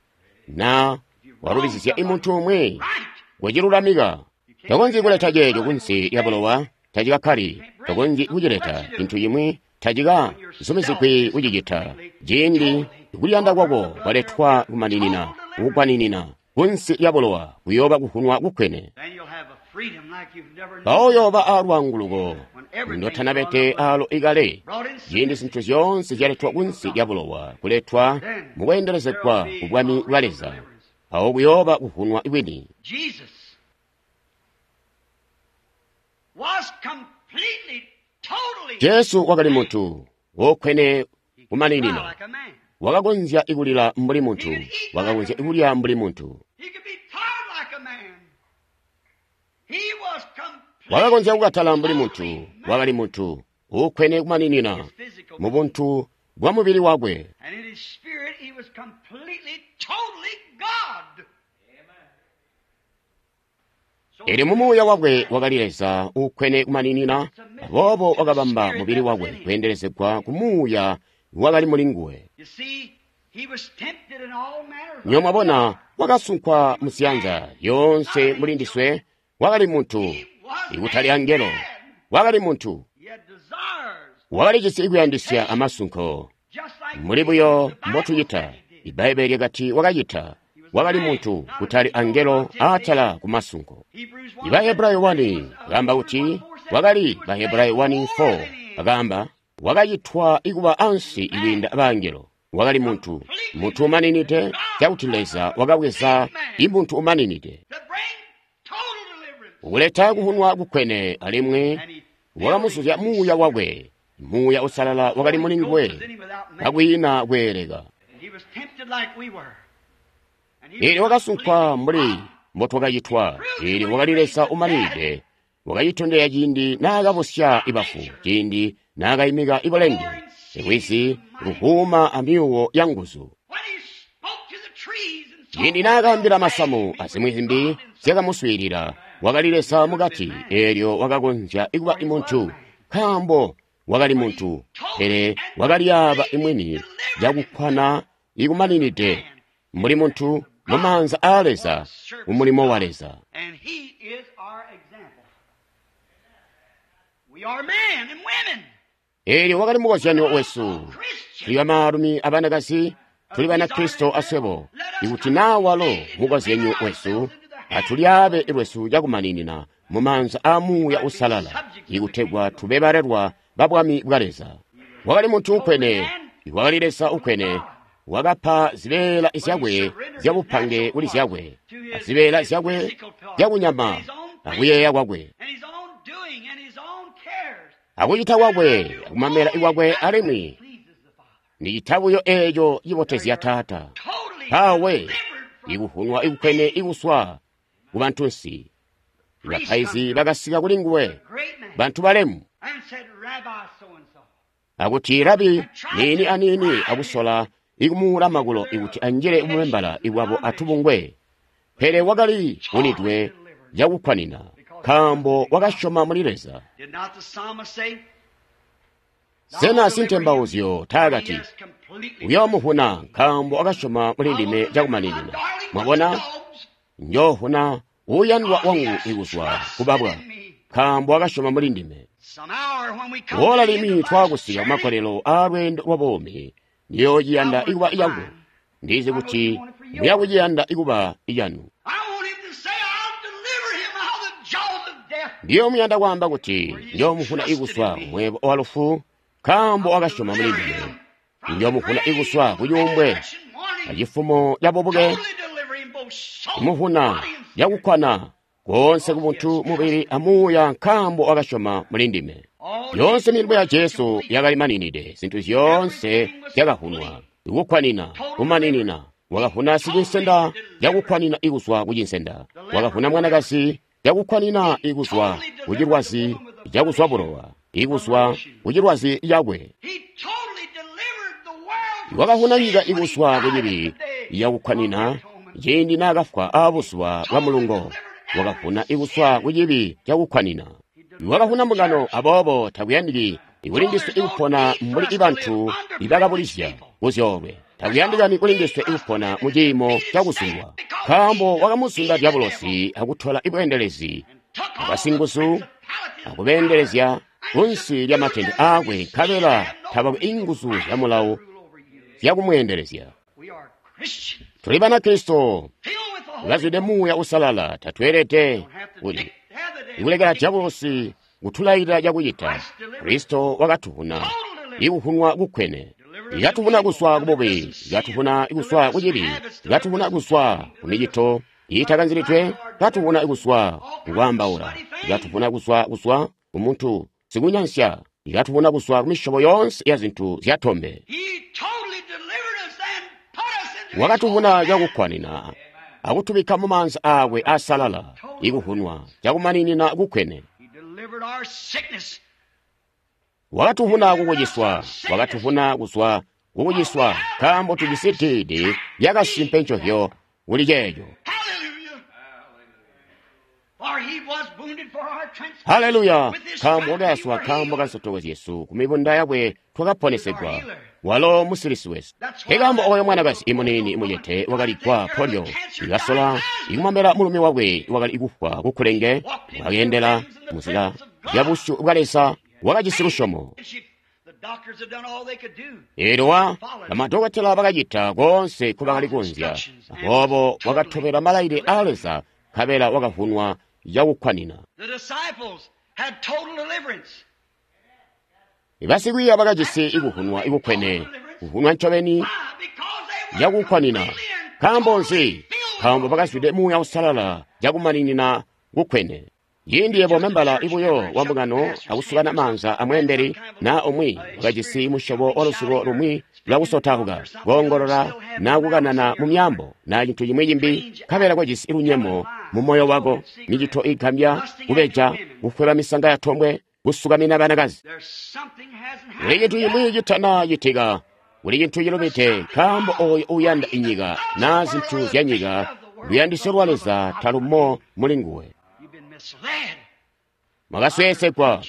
Speaker 1: Na walubizizya imuntu umwi kucilulamika, tokonzyi kuleta ceeco kunsi lya bulowa, tacikakkali. Tokonzyi kucileta cintu cimwi, tacikazumizigwi kucicita. Ciindi kuliyanda kwako kwaletwa kumaninina, kukwaninina kunsi lya bulowa, kuyooba kuvunwa kukwene. Mpawo uyooba aalwaanguluko ndotanabete aalo ikale. Ciindi zintu zyoonse zyaletwa kunsi lya bulowa, kuletwa mukweendelezegwa ku bwami bwa Leza, mpawo kuyooba kuvunwa kwini. Jesu wakali muntu wokkwene kumaninina. Wakakonzya kulila mbuli muntu, wakakonzya kulya mbuli muntu, wakakonzya kukatala mbuli muntu. Wakali muntu uukkwene kumaninina mu buntu bwa mubili wakwe. Elyo mu muuya wakwe wakali Leza uukkwene kumaninina, aboobo wakabamba mubili wakwe kweendelezegwa ku muuya wakali muli nguwe. Nywebo mwabona, wakasunkwa muziyanza yoonse muli ndiswe. Wakali muntu, ikutali angelo. Wakali muntu, wakalijisi kuyandisya amasunko muli buyo mbotucita. Ibbaibbele lyakati wakacita. Wakali muntu, kutali angelo, aatala kumasunko. Bahebrayo wani akaamba kuti wakali Bahebrayo wani four akaamba wakacitwa ikuba ansi ikwiinda bangelo. Wakali muntu, muntu umaninide, cakuti Leza wakabweza imuntu umaninide kuleta kuhunwa kukwene, alimwi wakamuzuzya muuya wakwe. Muuya usalala wakali muli nguwe kakwiina kweeleka. Eelyo wakasunkwa mbuli mbotwakacitwa. Eelyo wakali Leza umaninide, Wakacitondezya ciindi naakabusya ibafu, ciindi naakaimika ibulenge, lwizi luvuuma amyuuwo yanguzu. Ciindi naakaambila masamu azimwi zimbi zyakamuswiilila, wakali Leza mukati, eelyo wakakonzya kuba muntu, nkaambo wakali muntu, pele wakalyaaba imwini cakukkwana ikumaninide mbuli muntu mumaanza aa Leza, mumulimo wa Leza. Eelyo wakali mukozyanyo wesu. Tuli bamaalumi abanakazi, tuli Banakristo aswebo. Ikuti naa walo mukozyanyo wesu, atulyaabe lwesu cakumaninina mumaanza aa Muuya Uusalala, ikutegwa tube balelwa ba Bwami bwa Leza. Wakali muntu ukwene, wakali Leza ukwene, wakapa zibeela zyakwe zyabupange kuli zyakwe, azibeela zyakwe zyakunyama akuyeeya kwakwe, akucita kwakwe, akumamela kwakwe, alimwi nicita buyo eeco cibotezya Taata. Mpawe ikuhunwa ikukwene ikuswa kubantunsi. Bapaizi bakasika kuli nguwe, bantu balemu, akuti Rabi niini aniini akusola ikumuula makulo ikuti anjile mumembala iwabo atubungwe. Pele wakali unidwe cakukkwanina, nkaambo wakasyoma muli Leza. Sena sintembauzyo taakati, uyoomuhuna nkaambo wakasyoma muli ndime cakumaninina. Mwabona, njoohuna uuyandwa wangu ikuzwa kubabwa, nkaambo wakasyoma muli ndime. Woola limwi twaakusika kumakolelo aalweendo lwa buumi, ndiyoociyanda ikuba iyangu. Ndizi kuti muyakuciyanda ikuba iyanu. Ndiyoomuyanda kwaamba kuti njoomuhuna ikuswa kumwebo wa lufu, nkaambo wakasyoma muli ndime. Njoomuhuna ikuswa kucuumbwe acifumo cabubuke, kumuhuna cakukkwana koonse kubuntu mubili amuuya, nkaambo wakasyoma muli ndime. Yoonse milimo ya Jesu yakali maninide, zintu zyoonse zyakahunwa ikukkwanina kumaninina. Wakahuna sicinsenda cakukkwanina ikuzwa kucinsenda, wakahuna mwanakazi cakukkwanina ikuzwa kucilwazi cakuzwa bulowa, ikuzwa kucilwazi cakwe. Wakahuna nyika ikuzwa kucibi cakukkwanina ciindi naakafwa aabuzuba bwa mulungo. Wakahuna ikuzwa kucibi cakukkwanina. Wakahuna mbungano, aboobo takuyandiki kulindiswe ikupona mbuli ibantu ibakabulizya kuzyoolwe. Takuyandikani kulindiswe ikupona mu ciimo cakuzundwa, nkaambo wakamuzunda dyabulosi akutola ibweendelezi abasinguzu akubeendelezya kunsi lyamatende aakwe, nkabela tabakwe inguzu zyamulawo zyakumweendelezya. Tuli Banakristo bazwide Muuya Uusalala, tatweelede kuti ikulekela dyabulosi kutulailila cakucita. Kristo wakatuhuna ikuhunwa kukwene, ikatuhuna kuswa kububi, ikatuhuna kuswa kucibi, ikatuhuna kuswa kumicito iitakanzilidwe, ikatuhuna kuswa kukwaambaula, ikatuhuna kuswa kuswa kumuntu sikunyansya, ikatuhuna kuswa kumisyobo yoonse ya zintu zyatombe. Wakatuhuna cakukkwanina akutubikka mumaanza aakwe aasalala, ikuhunwa cakumaninina kukwene. Wakatuhuna kukuciswa, wakatuhuna kuzwa kukuciswa, nkaambo tujisi diidi lyakasimpe ncovyo kuli ceeco. Haleluya! Nkaambo wakayaswa nkaambo kansotoko zyesu, kumibunda yakwe twakaponesegwa. Walo musilisi wesu. Nkaambo oyo mwanakazi imuniini mucete wakaligwa polio, ikasola ikumwambila mulumi wakwe wakali kufwa kukulenge, wakeendela muzila ya busyu bwa Leza, wakajisi lusyomo. Eelyo wa bamadokotela bakacita koonse nkobakali kunzya, aboobo wakatobela malailile aa Leza, nkabela wakavunwa cakukkwanina. Basikwiiya bakajisi ikuhunwa ikukwene, kuhunwa ncobeni cakukkwanina. Nkaambo nzi? Nkaambo bakazwide Muuya Uusalala cakumaninina kukwene. Ciindi yebo membala ibuyo wa mbungano akusukana maanza amweembeli naa umwi wakajisi musyobo wa lusuko lumwi lwakusotauka, koongolola naa kukanana mu myaambo naa cintu cimwi cimbi, nkabela kwajisi lunyemo mu moyo wako, micito igambya, kubeja, kufweba misanga ya tombwe, kusukamina banakazi. Kuli cintu cimwi citana citika, kuli cintu cilubide, nkaambo oyo uyanda inyika na zintu zya nyika, luyandisyo lwa Leza talumo muli nguwe. Mwakasweesegwa,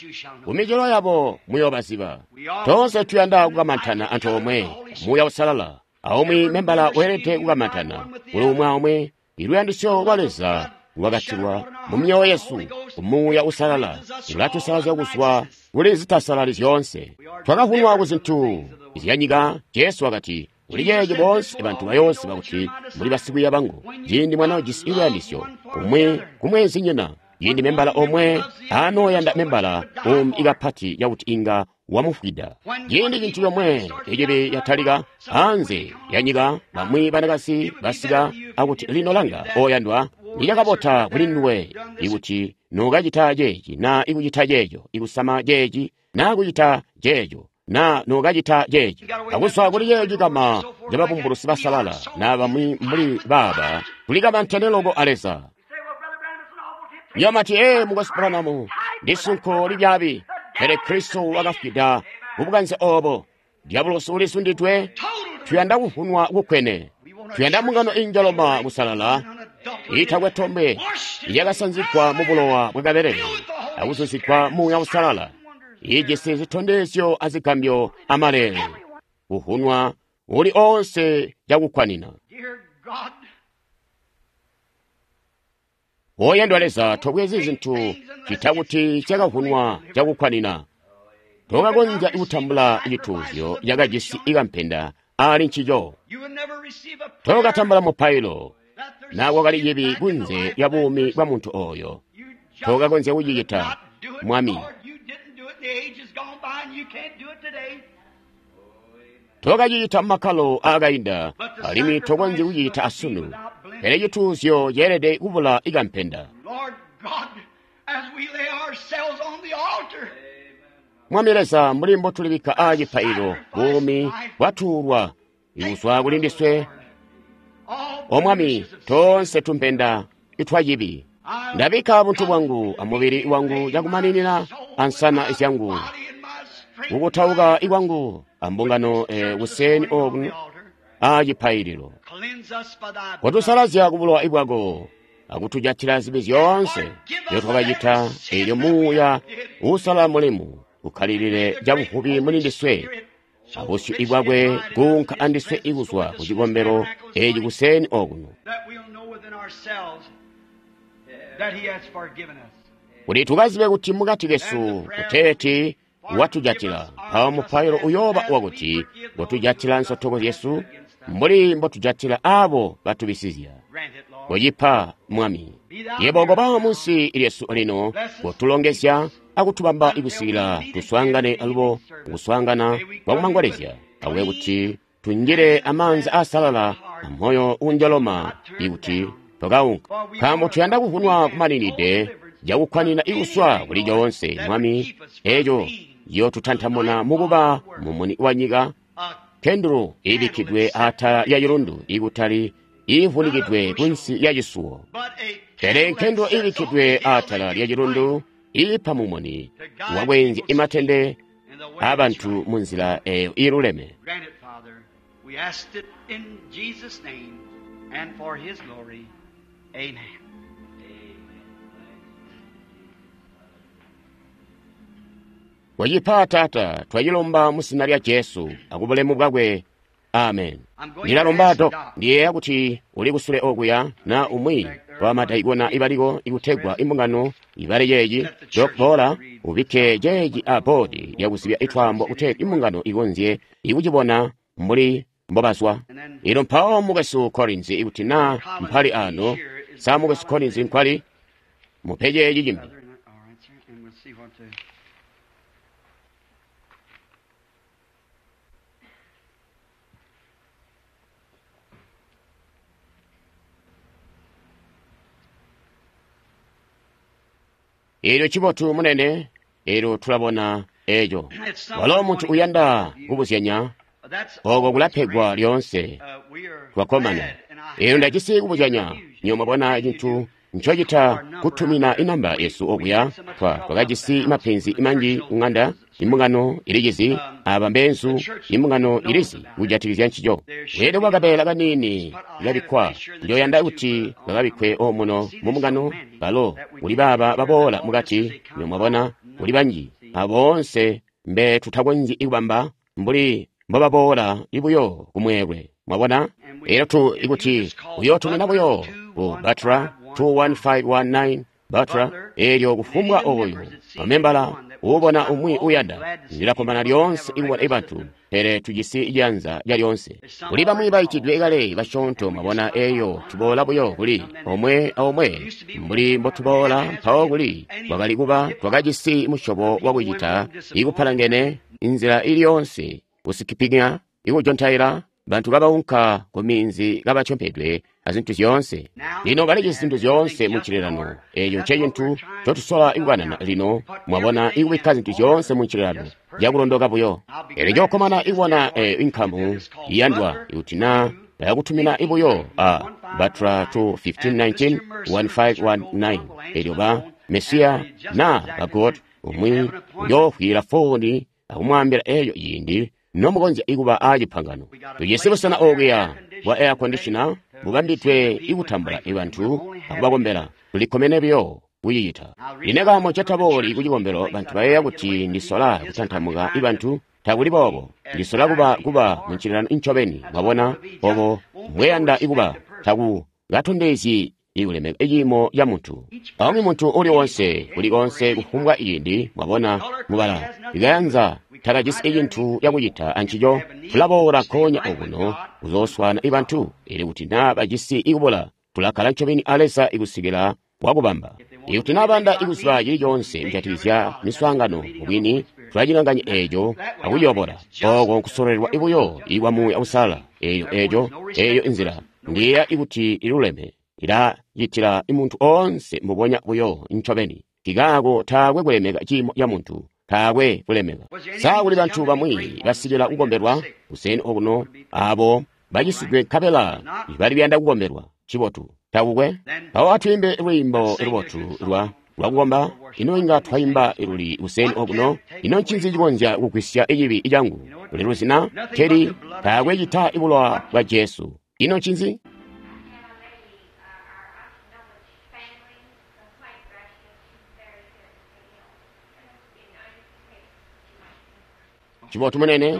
Speaker 1: kumicelo yabo muyoobaziba. Toonse tuyanda kukamantana antoomwe, Muuya Uusalala. Aumwi membala weelede kukamantana kuli umwi aumwi. Iluyandisyo lwa Leza lwakatilwa mu myoyo yesu ku Muuya Uusalala, lulatusalazya kuzwa kuli zitasalali zyoonse. Twakavunwa ku zintu zyanyika. Jesu wakati, kuli ceeci boonse bantu bayooziba kuti muli basikwiiya bangu, ciindi mwanoojisi luyandisyo umwi ku mweenzinyina, ciindi membala omwe anooyanda membala umbi kapati cakuti inga wamufwida. Ciindi cintu comwe ecibi yatalika anze ya nyika, bamwi banakazi basika akuti lino langa oyandwa, nicakabota kuli nduwe ikuti nokacita ceeci na ikucita ceeco, ikusama ceeci na kucita ceeco, na nokacita ceeci, akuzwa kuli ceeci kama cababumbulusi basalala na bamwi mbuli baaba, tulikamantene loko a Leza. Yamati, ee, Mukwesu Branham, ndi sunko libyaabi, pele Kristo wakafwida kubukanze obo. Diabolosi ulisundidwe. Tuyanda kuvunwa kukwene, tuyanda mbungano injoloma kusalala itakwe tombe, yakasanzigwa mu bulowa bwa kabelele akuzuzigwa Muuya Uusalala, ijisi zitondezyo azigambyo amaleele, kuvunwa uli onse cakukwanina. Oyandwa Leza, tobwezi zintu cita kuti cakavunwa cakukwanina. Tokakonzya kutambula cituuzyo cakajisi ikampenda ali ncico. Tokatambula mupailo na kwakali cibi kunze lya buumi bwa muntu oyo. Tokakonzya kucicita, Mwami. Tokacicita mumakkalo aakainda, alimwi tokonzyi kucicita asunu. Pele cituuzyo ceelede kubula ikampenda. Mwami Leza, mbuli mbotulibikka aacipaililo, buumi bwatuulwa ikuzwa kuli ndiswe. O Mwami, toonse tumpenda itwa cibi. Ndabikka buntu bwangu amubili wangu cakumaninina ansana zyangu, kukutauka ikwangu ambungano e, kuseni okuno aacipaililo. Kotusalazya kubulowa ibwako akutujatila zibi zyoonse nzyotwakacita, eelyo Muuya Uusalala mulemu ukkalilile cabuvubi muli ndiswe, abusyu ibwakwe kuunka andiswe ikuzwa ku cikombelo eeci kuseni okuno, kuti tukazibe kuti mukati kesu kuteeti watujatila. Mpawo mupailo uyooba wakuti ngotujatila nsotoko zyesu mbuli mbotujatila abo batubisizya. Kocipa, Mwami. Yebo koba munsi lyesu lino, kotulongezya akutubamba ikusikila tuswaangane alubo kuswaangana kwakumangolezya, akube kuti tunjile amaanzi aasalala amoyo unjoloma ikuti twakaunka, nkaambo tuyanda kuvunwa kumaninide cakukwanina ikuswa kuli coonse, Mwami, eco ciyootutantamuna mukuba mumuni wa nyika, kendulu iibikkidwe atala lya cilundu ikutali iivunikidwe kunsi lya cisuwo, pele nkendulu iibikkidwe atala lya cilundu iipa mumuni wakwenzya imatende aabantu munzila eyo iiluleme. Wacipa, Taata, twacilomba mu zina lya Jesu akubulemu bwakwe. Amen. Ndilalomba Dok, ndiyeeya kuti uli kusule okuya na umwi wa madaikona ibaliko ikutegwa imbungano ibale ceeci. Dok, boola ubikke ceeci a boodi lyakuzibya itwaambo kutegwa imbungano ikonzye ikucibona mbuli mbobazwa. Ino mpawo mukwesu Collins, ikuti na mpali ano, sa mukwesu Collins nkwali, mupe ceeci cimbi. Eelyo cibotu munene, eelyo tulabona eco. Walo muntu uyanda kubuzyanya, oko kulapegwa lyoonse. Twakkomana. Eelyo ndajisi kubuzyanya, niyo mwabona cintu ncocita kutumina inamba yesu okuya. Twa twakajisi mapenzi manji kung'anda, imbungano ilicizi, aba mbeenzu, imbungano ilizi kujatikizya ncico. Elyo kwakabeela kaniini kabikkwa, njoyanda kuti kakabikkwe omuno mu mbungano, balo kuli baaba baboola mukati, mwabona, kuli banji, aboonse mbe tutakonzyi kubamba mbuli mbobaboola buyo kumweelwe. Mwabona? Elyo tu ikuti uyotumina buyo ku Butler two one five one nine Butler, elyo kufumbwa oyo mamembala ubona umwi uyanda, ndilakkomana lyoonse ikubona ibantu, pele tujisi janza lya lyoonse. Kuli bamwi baitidwe kale basyoonto, mwabona, eyo tuboola buyo kuli omwe aomwe mbuli mbotuboola mpawo kuli kwakali kuba twakajisi musyobo wakucita ikupalangene inzila ili yoonse kusikipinya ikujontaila bantu kabaunka ku minzi kabatyompedwe azintu zyoonse. Lino balijisi zintu zyoonse mu ncililano. Eeco ncecintu ncotusola ikukanana lino, mwabona, ikubikka zintu zyoonse mu ncililano cakulondoka buyo. Elyo njookkomana ikubona eyo inkamu iyandwa ikuti naa bayakutumina ibuyo a Butler two fifteen nineteen one five one nine. Elyo ba Mesiya na ba God umwi uyoofwila foni akumwaambila eyo ciindi nomukonzya ikuba aacipangano. Tujisi busena okuya bwa air conditioner bubambidwe ikutambula ibantu akubakombela. Tulikkomene buyo kucicita. Ine kaambo ncetabooli kucikombelo, bantu bayeeya kuti ndisola kutantamuka ibantu. Takuli boobo. Ndisola kuba kuba muncililano incobeni, mwabona, obo mbweyanda ikuba. Taku katondezyi ikulemeka iciimo ca muntu. Aumwi muntu uli wonse, kuli konse kufumbwa ciindi, mwabona, mubala ikayanza takajisi icintu cakucita ancico. Tulaboola nkoonya okuno kuzooswana ibantu, ili kuti naa bajisi ikubula, tulakkala ncobeni a Leza ikusikila wakubamba. Ikuti naa banda ikuziba cili coonse kujatikizya miswaangano, mubwini tulacilanganya eeco akuyobola. Ooko nkusololelwa ibuyo ikwa Muuya Uusalala. Eeyo eeco eeyo inzila ndiyeeya ikuti iluleme, ilacitila muntu oonse mbubonya buyo ncobeni. Kikaako taakwe kulemeka ciimo ca muntu, taakwe kulemeka. Sa kuli bantu bamwi basikila kukombelwa kuseni okuno abo bacisidwe nkabela bali kuyanda kukombelwa? Cibotu, takukwe. Mpawo atwiimbe lwiimbo lubotu lwa lwakukomba. Ino inga twaimba luli kuseni okuno? Ino ncinzi cikonzya kugwisya cibi cangu? Kuli luzina teli taakwe cita ibulowa bwa Jesu. Ino ncinzi? Cibotu munene,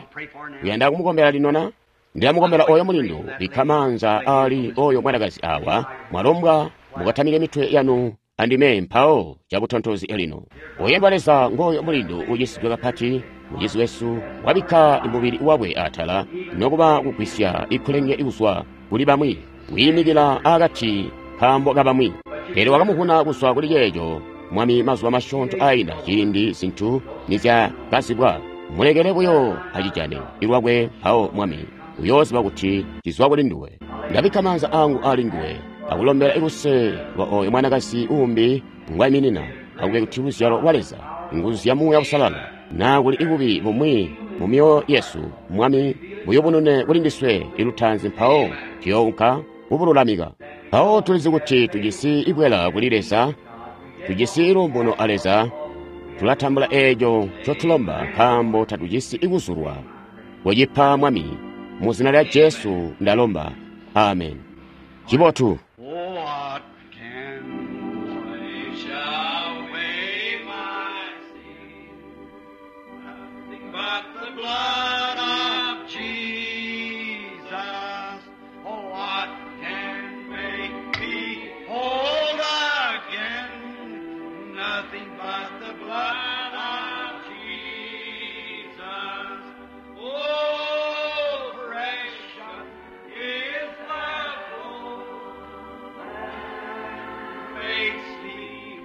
Speaker 1: uyanda kumukombela lino na? Ndilamukombela oyo mulindu, bikka maanza ali oyo mwanakazi awa, mwalombwa mukatamike mitwe yanu andime mpawo cabutontozi lino. Oyendwa Leza ngoyo mulindu ucisidwe kapati, mucizi wesu wabikka mubili wakwe atala, nokuba kugwisya ikulenge kuzwa kuli bamwi, wiimikila akati kaambo kabamwi. Pele wakamuvuna kuzwa kuli ceeco, Mwami, mazuba masyoonto ainda ciindi zintu nizyakazibwa. Mulekele buyo acijane ilwakwe mpawo Mwami uyooziba kuti cizwa kuli nduwe. Ndabikka maanza angu ali nguwe akulombela iluse lwa oyo mwanakazi uumbi ngwaiminina, akube kuti luzyalo lwa Leza, nguzu zya Muuya Uusalala, naa kuli ibubi bumwi mu myoyo yesu, Mwami, buyubunune kuli ndiswe ilutaanzi mpawo tuyounka kubululamika. Mpawo tulizi kuti tujisi ibwela kuli Leza, tujisi iluumuno a Leza, tulatambula eeco ncotulomba nkaambo tatujisi ikuzulwa. Kucipa Mwami, mu zina lya Jesu ndalomba. Amen. Cibotu.
Speaker 2: What can wash away my sin? Nothing but the blood of Jesus. Oh, what can make me whole again? Nothing but the blood of Jesus. Oh, precious is the flow that makes me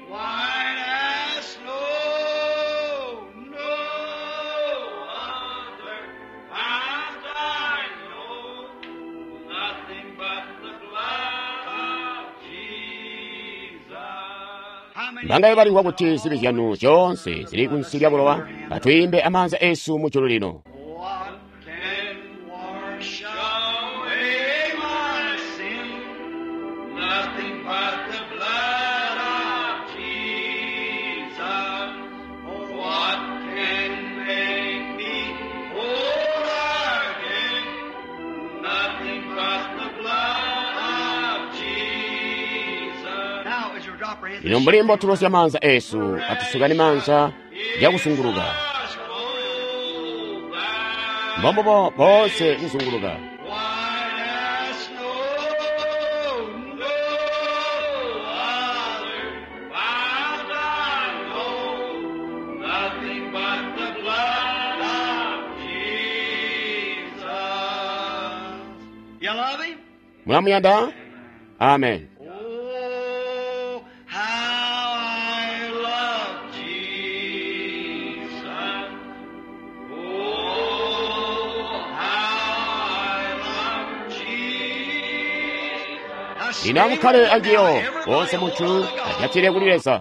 Speaker 2: white as snow. No other fount I know, nothing but the blood of Jesus.
Speaker 1: Mbangaye balimvwa kuti zibi zyanu zyoonse zili kunsi lya bulowa? Atwiimbe amaanza esu mu julu lino.
Speaker 2: What can wash away my sin? Nothing but the blood Nothing but the blood of Jesus. Now, as you drop our hands,
Speaker 1: Lino mbuli mbotulosya maanza esu atusukane maanza cakusunguluka
Speaker 2: Wash all that
Speaker 1: mbombubo boonse kuzunguluka
Speaker 2: white as snow, no other fount I know, nothing but the blood of Jesus. You love him?
Speaker 1: Mulamuyanda? Amen.
Speaker 2: Oh, how I love Jesus. Oh, how I love Jesus.
Speaker 1: Lino amukkale anjiyo boonse munthu ajatire kuli Leza.